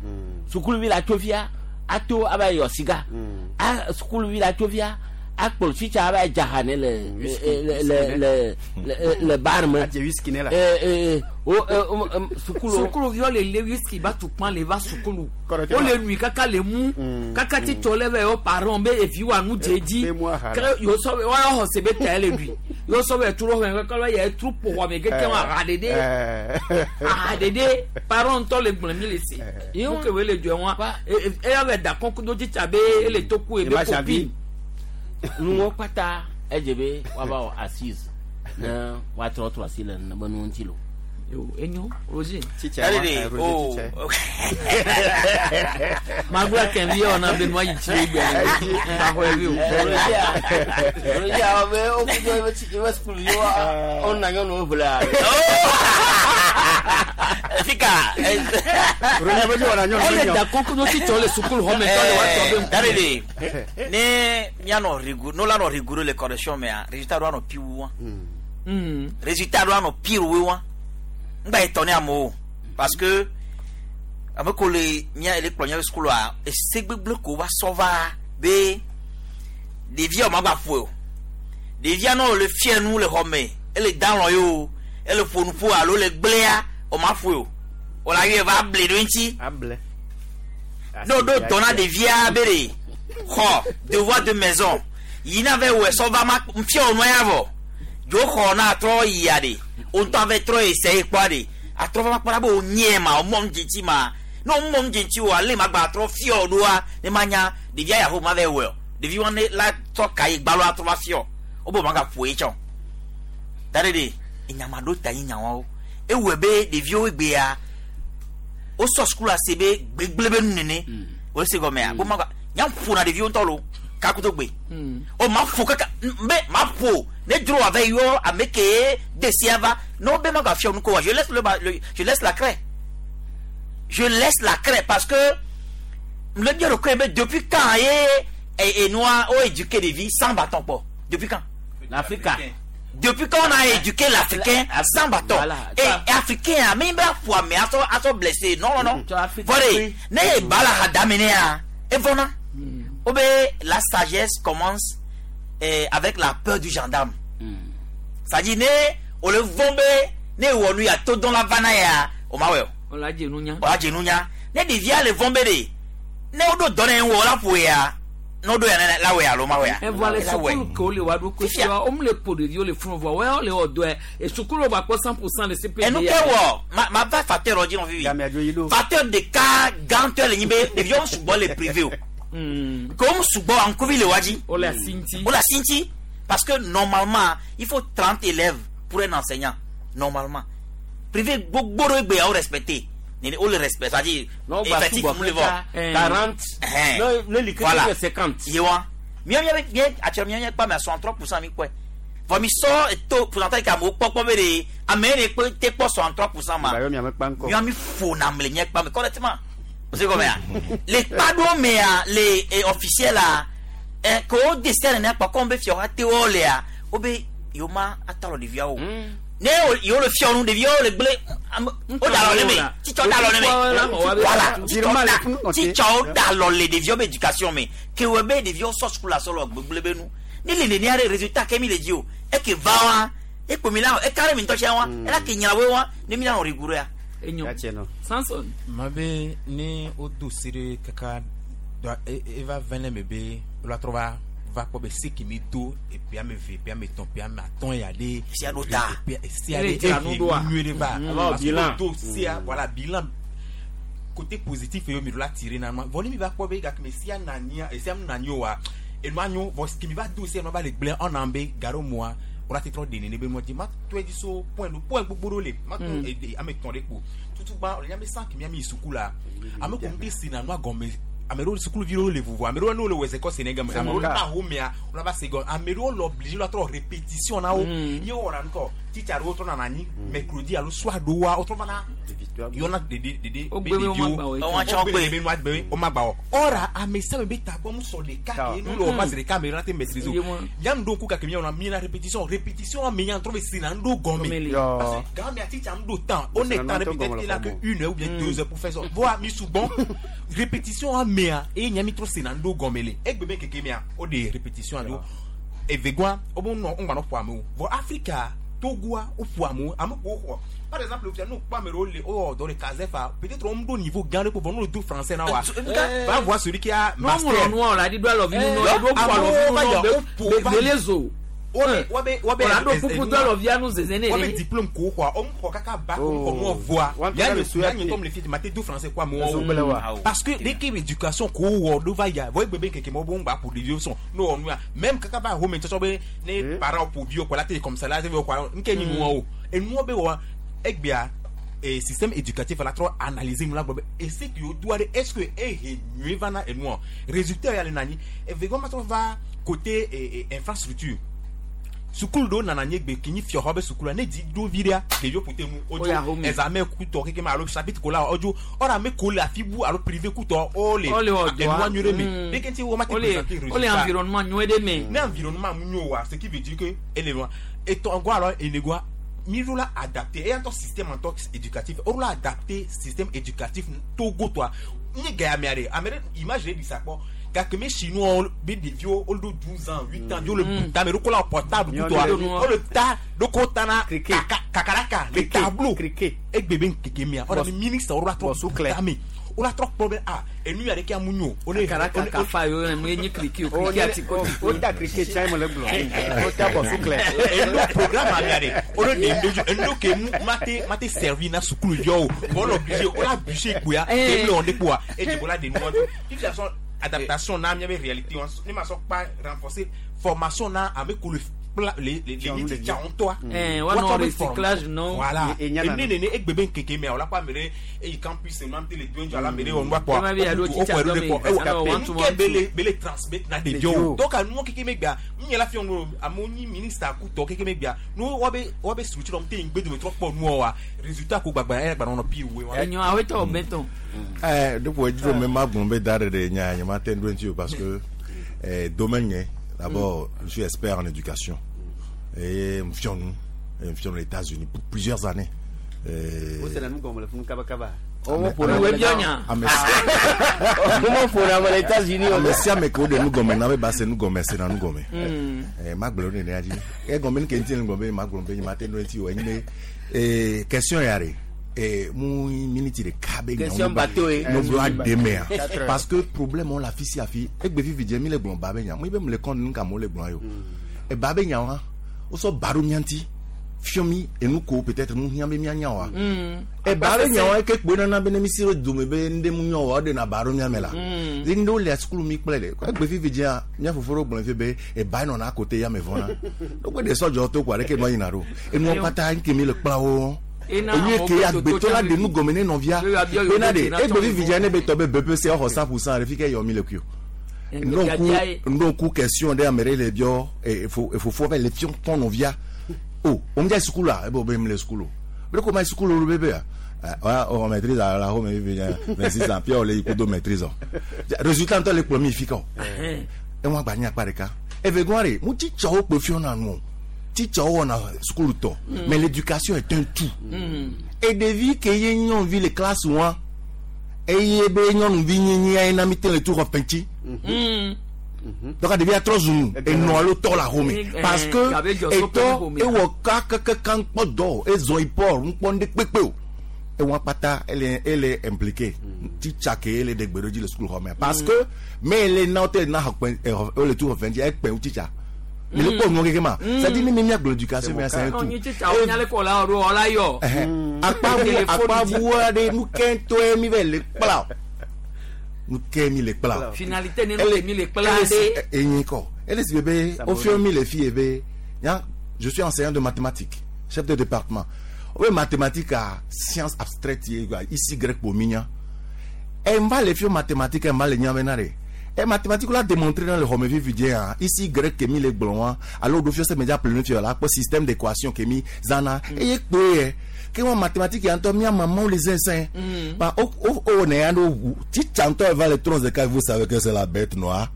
sukuluvi la tso fia ato ava yɔ siga a sukuluvi la tso fia akplɔ tsitsa ava dzaha ne le le le le le le bar me ɛ o sukulu sukuluviwo le le whisky ba tu kpã le va sukulu wo le nui kaka le mu kaka titsɔ le vɛ yɔ parents be evi wa nu dze dzi ke yɔ sɔ be wɔyɔ xɔ se be ta le ɖui yɔ sɔ be turu xɔ kaka lɔ yɛ turu ƒo xɔ me keke wa aha ɖeɖe aha ɖeɖe parents ŋutɔ le gblẽ mi le se wo ke wo le dzɔ wa eya bɛ da kɔnkudo tsitsa be ele toku ebe kopi nuwo kpata edze be woava wɔ assise ne woatrɔ trɔ asi le nene be nuwo ŋuti lo. Yo, enyo, Roger. Allez, oh. Magula kɛmɛ yɛ ɔna bɛ nua yi tsi egbe axɔ ebi o. Roger awɔ be wo kudo ebe tsi ebe sukuluviwo wona nyɔnuwo ʋle Fika. Roger bɛ wɔna nyɔnu Ele da kɔnkudo tsitsɔ le sukulu xɔme tɔ le wa tɔ be. Darele, ne mianɔ rigoureux, no la nɔ rigoureux le correction mea, résultat do anɔ pire wu wa. Résultat do anɔ pire wu wa. Ŋgba étonné amewo parce que ame ko le mía le kplɔ mía be sukulua ese gbegblẽ ko va sɔ va be ɖevia wo ma gba ƒoe o. Ɖevia ne wòle fia nu le xɔ me, ele da lɔ ye o, ele ƒo nu ƒo alo le gblẽa, o ma ƒoe o. Wòle ayɔe va able ɖo eŋuti. Able. Ne woɖo dɔ na ɖevia be ɖe xɔ devoir de maison yina vɛ wɔ sɔ va ma fia wò nua ya vɔ dzo xɔ na atrɔ yia ɖe wo ŋutɔ ave trɔ ese kpɔa ɖe atrɔ va ma kpɔna be wo nyɛ ma wo mɔ nu dze ŋuti ma ne wo mɔ nu dze ŋuti o ale ma gba atrɔ fia wò ɖoa ne ma nya ɖevia ya ho ma vɛ wɔ ɖevi wa ne la tsɔ ka yi gbalo atrɔ va fia wo be ma ga ƒo ye tsɔ da ɖe ɖe enyama ɖo ta nyi nyawawo ewɔe be ɖeviwo egbea wosɔ sukulu ase be gbegble be nu nene wòle se gɔmea ko ma gba nya ƒona ɖeviwo ŋutɔ lo kakuto gbe o ma ƒo kaka be ma ƒo ne dzro ave yɔ ame ke de sia va ne wo be ma gba fia nu ko wa je laisse le, le je laisse la craie je laisse la craie parce que le bien le be depuis quand ye et, et nous on éduqué des vies sans bâton kpɔ depuis quand L'Afrique. Depuis quand on a éduqué l'Africain sans bâton. Voilà. Et, et Africain, mais il va mais à à blessé. Non, non, non. Voilà. Ne bala hadamene ya. Et voilà. Obe, la sagesse commence eh, avec la peur du gendarme. C'est-à-dire, ne, on le vombe, ne wonu ya to dans la vana ya. O ma we. O la dze nunya. O la dze nunya. Ne devia le vombe de. Ne o do donne wo la ƒo ya. No do ya ne la we alo ma we ya. Evɔ le sukulu ke wo le wa ɖo ko sia wo mu le ƒo ɖeviwo le funu vɔ wɔyɔ le wɔ dɔe e sukulu gba kpɔ cent pour cent le CPD. Enu ke wɔ ma ma va facteur dɔ dzi nɔ fifi. Facteur ɖeka gãtɔ le nyi be ɖeviwo sugbɔ le privé o. Ke wo sugbɔ ŋkuvi le wa dzi. O le asi ŋuti. O le asi ŋuti parce que normalement il faut trente élèves pour un enseignant normalement. Privé gbogbo ɖe egbe ya wo respecté. Nene o le respect c'est-à-dire Non, bah, effectif sugbɔ mu le vɔ. quarante. Ne ne li Voilà. ke cinquante. Ye wa. Mía mía mía actuellement mía mía kpa me soixante-trois pour cent mi kpɔe. Vɔ mi sɔ to pourcentage ke amewo kpɔkpɔ be de ame yi ne kpe te kpɔ soixante-trois pour cent ma. Bayɔ miame kpa ŋkɔ. Mía mi ƒona ame le nye kpa me correctement. O se gɔmea. Le kpa ɖewo mea le eh, officiel la eh, ke wo dese nene kpɔ kɔm be fiawo ate wo lea wo be yewo ma atɔ alɔ ɖeviawo. Ne yewo le fiɔ nu ɖeviwo le gblẽ o da lɔ le me titsɔ da lɔ le me voilà titsɔwo da lɔ le ɖeviwo be éducation me kewɔ be ɖeviwo sɔ sukulu asɔ lɔ gbegblẽ be nu ne le nenia ɖe résultat ke mi le dzi o eke va wa ekpo mi la eka ɖe mi ŋutɔ tsia wa ela ke nyra wo wa ne mi la nɔ rigoureux ya. Enyo Samson. Ma be ne o do se ɖe kaka eva vɛ ne me be la trɔ va va kpɔ be se ke mi do epi ame eve epi ame etɔ̃ epi ame atɔ̃ ya ɖe sia ɖo ta sia ɖe ehe nyuie ɖe va parce que do sia voilà bilan côté positif ye mi do la tirer na ma vɔ ne mi va kpɔ be gake me sia na nyia esia mu na nyi oa enua nyo vɔ ke mi va do sia nua va le gblẽ ɔna be gaɖo moa wòle ate trɔ de nene be nua dzi ma tɔe dzi so point do point gbogbo ɖewo le ma to ede ame etɔ̃ ɖe kpo tutugba le nyame san kemi ame yi suku la ame ko ŋute si na nua gɔme ame ɖewo sukuvi ɖewo le vovo ame ɖewo ne wole wɔ ezekɔ se ne gɔme ame ɖewo ta homea wòle va se gɔme ame ɖewo le obligé la trɔ répétition na wo ye wɔna ŋkɔ titsa ɖewo trɔ nana anyi mercredi alo soir ɖewoa wotrɔ vana yɔna dede dede be ɖeviwo wogbe be nua gbe wo ma gba wɔ ɔra ame sia ame be tagbɔ mu sɔ ɖeka ke nu le wɔ ma zi ɖeka ame ɖe la te maîtrise o yan ɖo ŋku gake mi wɔna mi na répétition répétition ame yan trɔ be si na ŋɖo gɔme parce que gã mea titsa ŋɖo temps on est temps peut-être il a que une heure ou bien deux heures pour faire ça voa mi sugbɔn répétition amea eye nya mi trɔ si na ŋɖo gɔme le egbe be keke mea o de répétition alo evegua wo be nɔ ŋgba nɔ ƒo amewo vɔ Afrika Togoa wo ƒo amewo ame ko xɔ par exemple fia n'o kpɔ ame ɖewo le wowɔ dɔ le Kazefa peut-être wo ɖo niveau gã ɖe ko vɔ n'o le do français na wa va voir celui qui a master. n'o ŋlɔ nua o la di do alɔvi nu nɔ do ƒo alɔvi nu nɔ be bele zo. wobe wobe wobe o la do pupu do alɔvia nu zeze ne wobe diplôme ko xɔa wo xɔ kaka bac ko xɔ nuɔ voa ya nye ya nye tɔm le fi ma te do français ko amewo parce que dès que éducation ko wɔ do va ya vɔ egbe be keke mɔ bo ŋgba ƒo ɖeviwo sɔn n'o wɔ nua même kaka va home tsɔtsɔ be ne parents ƒo viwo kɔ la te comme ça la te wɔ kɔ nke nyi nuɔ o enuɔ be wɔ egbea et système éducatif la trɔ analyser nu la gbɔ be ese ke yo doa ɖe est ce que ehe nyuie va na enua résultat ya le na anyi evegɔ ma trɔ va côté infrastructure sukulu ɖewo nana nye gbe kinyi fiɔxɔ be sukulu ne dzi ɖo vi ɖea ɖeviwo ƒote ŋu wodzo examen kutɔ keke ma alo chapitre ko la wodzo ɔrɔ ame ko le afi bu alo privé kutɔ wole enua nyuie ɖe me ɖeke ŋuti wo ma te présenter résultat wole environnement nyuie ɖe me ne environnement mu nyo wa ce qui veut dire que ele wa etɔngɔ alo enegɔa mi ɖo la adapté eya ŋutɔ système ŋutɔ éducatif wo ɖo la adapté système éducatif Togo tɔa nye gaya mea ɖe ame ɖe image ɖe ɖi sa kpɔ gake me chinois be ɖeviwo wo ɖo douze ans huit ans wo le ta me ɖo ko la portable kutɔa wo le ta ɖo ko ta na kakaraka le tableau egbe be ŋkeke mea ɔɖe mi ministre wo la trɔ ta me wo la trɔ kpɔ be ah enu ya ɖeke amu nyo. Kakaraka kafa yo mu ye nye kiriki o kiriki ati ko ti. O ta kiriki tsa ye mo le gblɔ o ta bɔ suklɛ. Enu programme amea ɖe o le ɖe ŋdodzo enu ke mu ma te ma te servi na sukuluviawo o le obligé o la bûcher kpoya ke le wɔn de kpoa eye o la de nua do fifia sɔn adaptation na miabe réalité ne ma sɔ kpa renforcer formation na ame ko le les les les tsa ŋutɔa. Ɛɛ wa nɔ recyclage nɔ. Voilà ene nene egbe be nkeke mea o la kɔ ame ɖe eyi campus nua te le do ŋdzɔ ala ame ɖe wɔ nua kpɔa o kɔ ɛɖo ɖe kpɔ ewɔ nuke be le be le transmettre na ɖeviwo donc nuwo keke me gbea n yɛrɛ fi nu amewo nyi ministre akutɔ keke me gbea nu woabe woabe structure wɔm te yi ŋgbe dome trɔ kpɔ nuwɔ wa résultat ko gbagba eya gba nɔ pire woe. Enyo awetɔ bɛtɔn. Ɛɛ depuis edzro me ma gblɔ be da ɖe ɖe nya nye ma te ŋu ɖo ŋuti o parce que eh, domaine nye. D'abord, mm. je suis expert en éducation. Et je suis aux États-Unis pour plusieurs années. Question et mon minute de cabé question bateau parce que problème on la fille si et que vivi j'ai mis les blancs babé nya moi même le compte nous comme les blancs yo et babé nya wa o so baro nyanti fiomi et nous ko peut-être nous nyambe nya wa et baro nya wa ke gbe na be ne misiro dome be nde mu nyo wa de na baro nya me la ndo le school mi kple le que vivi j'ai nya foforo gbon fi be et ba no na côté ya me vona donc de so jo to kwa re ke no yin na ro et nous pata nke mi le kpla wo enye ke agbetɔ la de nu gɔme ne nɔvia bena de egbe vivi ne be tɔ be B P C xɔ cent pour cent ɖe fi ke yɔ mi le kui o ŋɖoku question ɖe ame ɖe le biɔ efofo va le fiɔ tɔn nɔvia o o ŋdza sukulu ebe o be mi le sukulu o be ko ma sukulu o be be ya o maîtrise la ho me vivi vingt-six ans puis o le yi kudo maîtrise o résultat ŋutɔ le kplɔ mi fi ka o eŋu agba nye akpa ɖeka eve gɔn re mu tsi tsɔwo kpe fiɔ na nu o. Teacher wɔna sukulu tɔ. Mais l'éducation est un tout. Et ɖevi ke ye nyɔnuvi le classe wa eye be nyɔnuvi nyinyi ye na mi te le tu xɔ fɛntsi. Donc ɖevia trɔ zu enɔ alo tɔ le axome parce que etɔ ewɔ ka keke ŋkpɔ dɔ ezɔ yi port ŋkpɔ ŋɖe kpekpe o. Ewa kpata ele ele impliqué teacher ke ele de gbe ɖo dzi le sukulu xɔ me parce que me ele na wote na xɔ kpɛ ele tu xɔ fɛntsi ekpɛ ŋu teacher. Mais le pauvre non ma ça dit ni mia l'éducation mais c'est un tout. Akpa akpa bu de nu kento mi ve le kpla. Nu ke mi le kpla. Finalité ne nu mi le kpla de. Enyi ko. Elle si bébé au fur mi les filles bébé. Je suis enseignant de mathématiques, chef de département. Oui, mathématiques à sciences abstraites ici grec pour minya. Elle va les filles mathématiques, elle va les nyamenare. Et mathématiques l'a démontré dans le Romevi vidéo ici grec que mi les blancs alors d'office c'est média plein fier là pour système d'équation que mi zana et que que moi mathématiques y anto mi maman les insin bah oh oh oh né ando ti chanto va les troncs de cas vous savez que c'est la bête noire.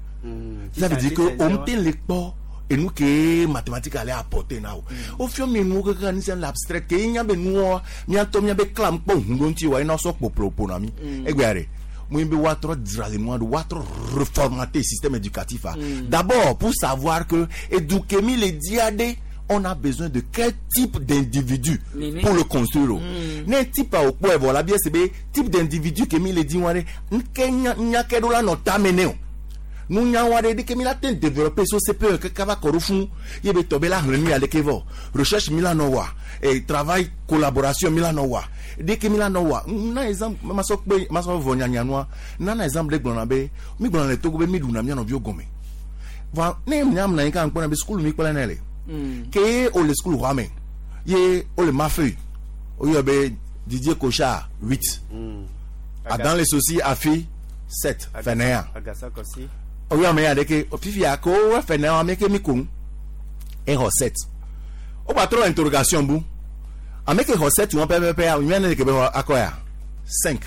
Ça veut dire que on tient les pas et nous que mathématiques allait apporter now au fur mi nous que ni c'est l'abstrait que nya be nous mi anto mi be clam po hundonti wa ina so po na mi e gbare moi je vais reformater le système éducatif. Mm. D'abord, pour savoir que éduquer les diadés, on a besoin de quel type d'individu pour le construire. Mm. type au point voilà bien c'est type d'individu que les dit nous n'avons pas que mila ten développer sur C P E que kava korofun yebe tobe la hlenu aleke vo recherche mila nowa et travail collaboration mila nowa dès que mila nowa na exemple ma so pe ma so vo nyanya noa na na exemple gbona be mi gbona le togo be mi duna mi no bio gome va ne nyam na nka npona be school mi kpala na le ke o le school rame ye o le ma feuille o yo be Didier Kocha huit Adam les soucis afi sept fenea Agasa kosi oyo ame ya de ke fifi ako fene ame ke mi kun e ho sept o ba trop interrogation bu ame ke ho sept won pe pe pe mi na ke be akoya cinq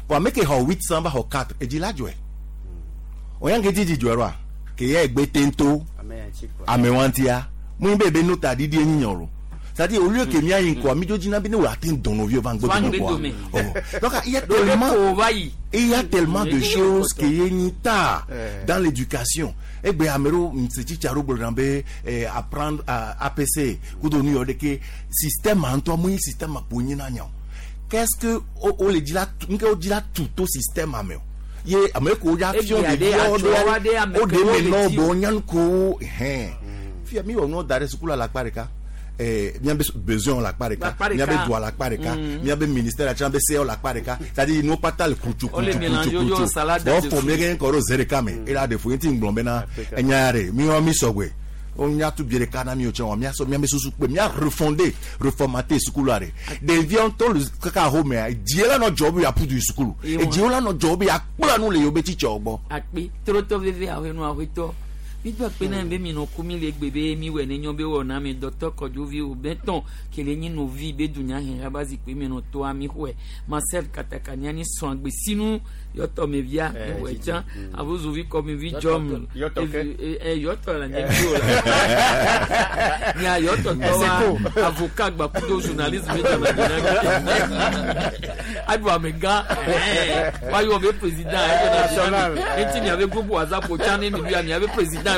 bo ame ke ho huit cents ba ho quatre e di la joe o yan ke didi joe ro ke ye egbe tento ame wan tia mu be be nota didi enyiyan ro. C'est-à-dire, au lieu que mi ayin quoi, mi jodi na bi ne wa atteindre dans nos vieux van quoi. Donc, il y a tellement, il y a tellement de choses qui y a dans l'éducation. Et ben, amero, m'seti charo bolrambe, apprendre à A P C, kudo nu yode ke système en toi, moi système a ponye na nyan. Qu'est-ce que, o le dit là, m'ke o dit là tout au système ameo. Ye, ameo ko ya fion de o de meno bo nyan ko, hein. Fia mi o no dare sukula la pareka. Eh, bien besoin la pareka, bien droit la pareka, bien ministère la chambre C O la pareka, c'est-à-dire nous pas tal kuchu kuchu kuchu kuchu. Bon former rien koro zere kame, et là des fois inti nglombe na enyare, mi o mi sogwe. On y a tout bien kana mi o tchen, mi a so mi a susu pe, mi a refonder, reformater sukulu are. Des viens to le kaka home, die la no job ya pudu sukulu. Et die la no job ya kpla nu le yo be teacher ogbo. Akpi troto veve awe nu aweto. Mi do akpe na be mi no kumi le gbebe mi we ne nyo be wo na mi docteur Kodjovi o benton ke le nyi no vi be dunya hen rabazi pe mi no to ami hwe Marcel Katakania ni son agbe sinu yoto me via we chan avuzu vi comme vi jom eh yoto la nye bio la ni a yoto to avocat gba kudo journaliste me jama na adu amega wa yo be président national enti mi avec groupe WhatsApp o chan ni mi mi avec président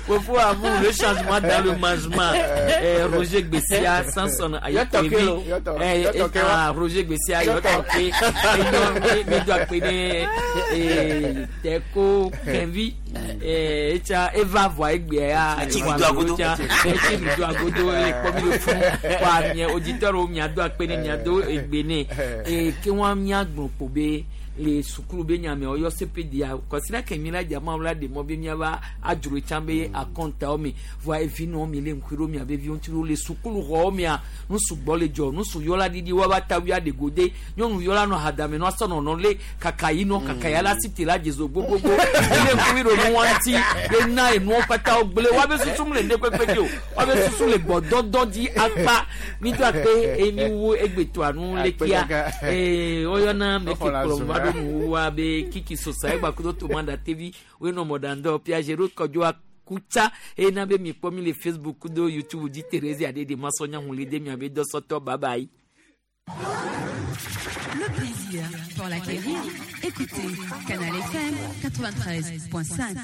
Pour avoir le changement dans le mangement. Eh, Roger Gbessia, Samson Ayatoki. Eh, ah, Roger Gbessia, Yotoke. Et donc, Teko, Kenvi, eh, Echa, Eva, Voigbe, Eti Vido Agodo. Eti Vido Agodo, et comme le fou, quoi, mi auditeur, mi ado, akpene, mi ado, egbene. Et ke wan mi agbon pobe. Les sukulu be nyame oyo C P D A considère que mi la diamant la de mobe mi aba adjuro chambe a compte o mi voa evi no mi le nkwiro mi abe vi ontiro le sukulu ro mi a nu sugbo le jo nu su yola didi wa ba tawi a de gode nyonu yola no hadame no asono no le kakayi no kakaya la cité la jezo gbogbogbò le nkwiro no wanti le na enu opata ogbele wa be susu le ne pepe di o wa be susu le gbododo di apa mi to pe emi wo egbeto anu le kia eh oyo na me ke kolomba wa be kiki sosa egba kudo to manda T V we no modando Piagero Kodjo kutsa eye na be mi kpɔ mi le Facebook kudo YouTube dzi Thérésia ɖe de masɔnya hun le de miabe dɔsɔtɔ bye bye. Le plaisir pour l'acquérir, écoutez Canal F M quatre-vingt-treize point cinq.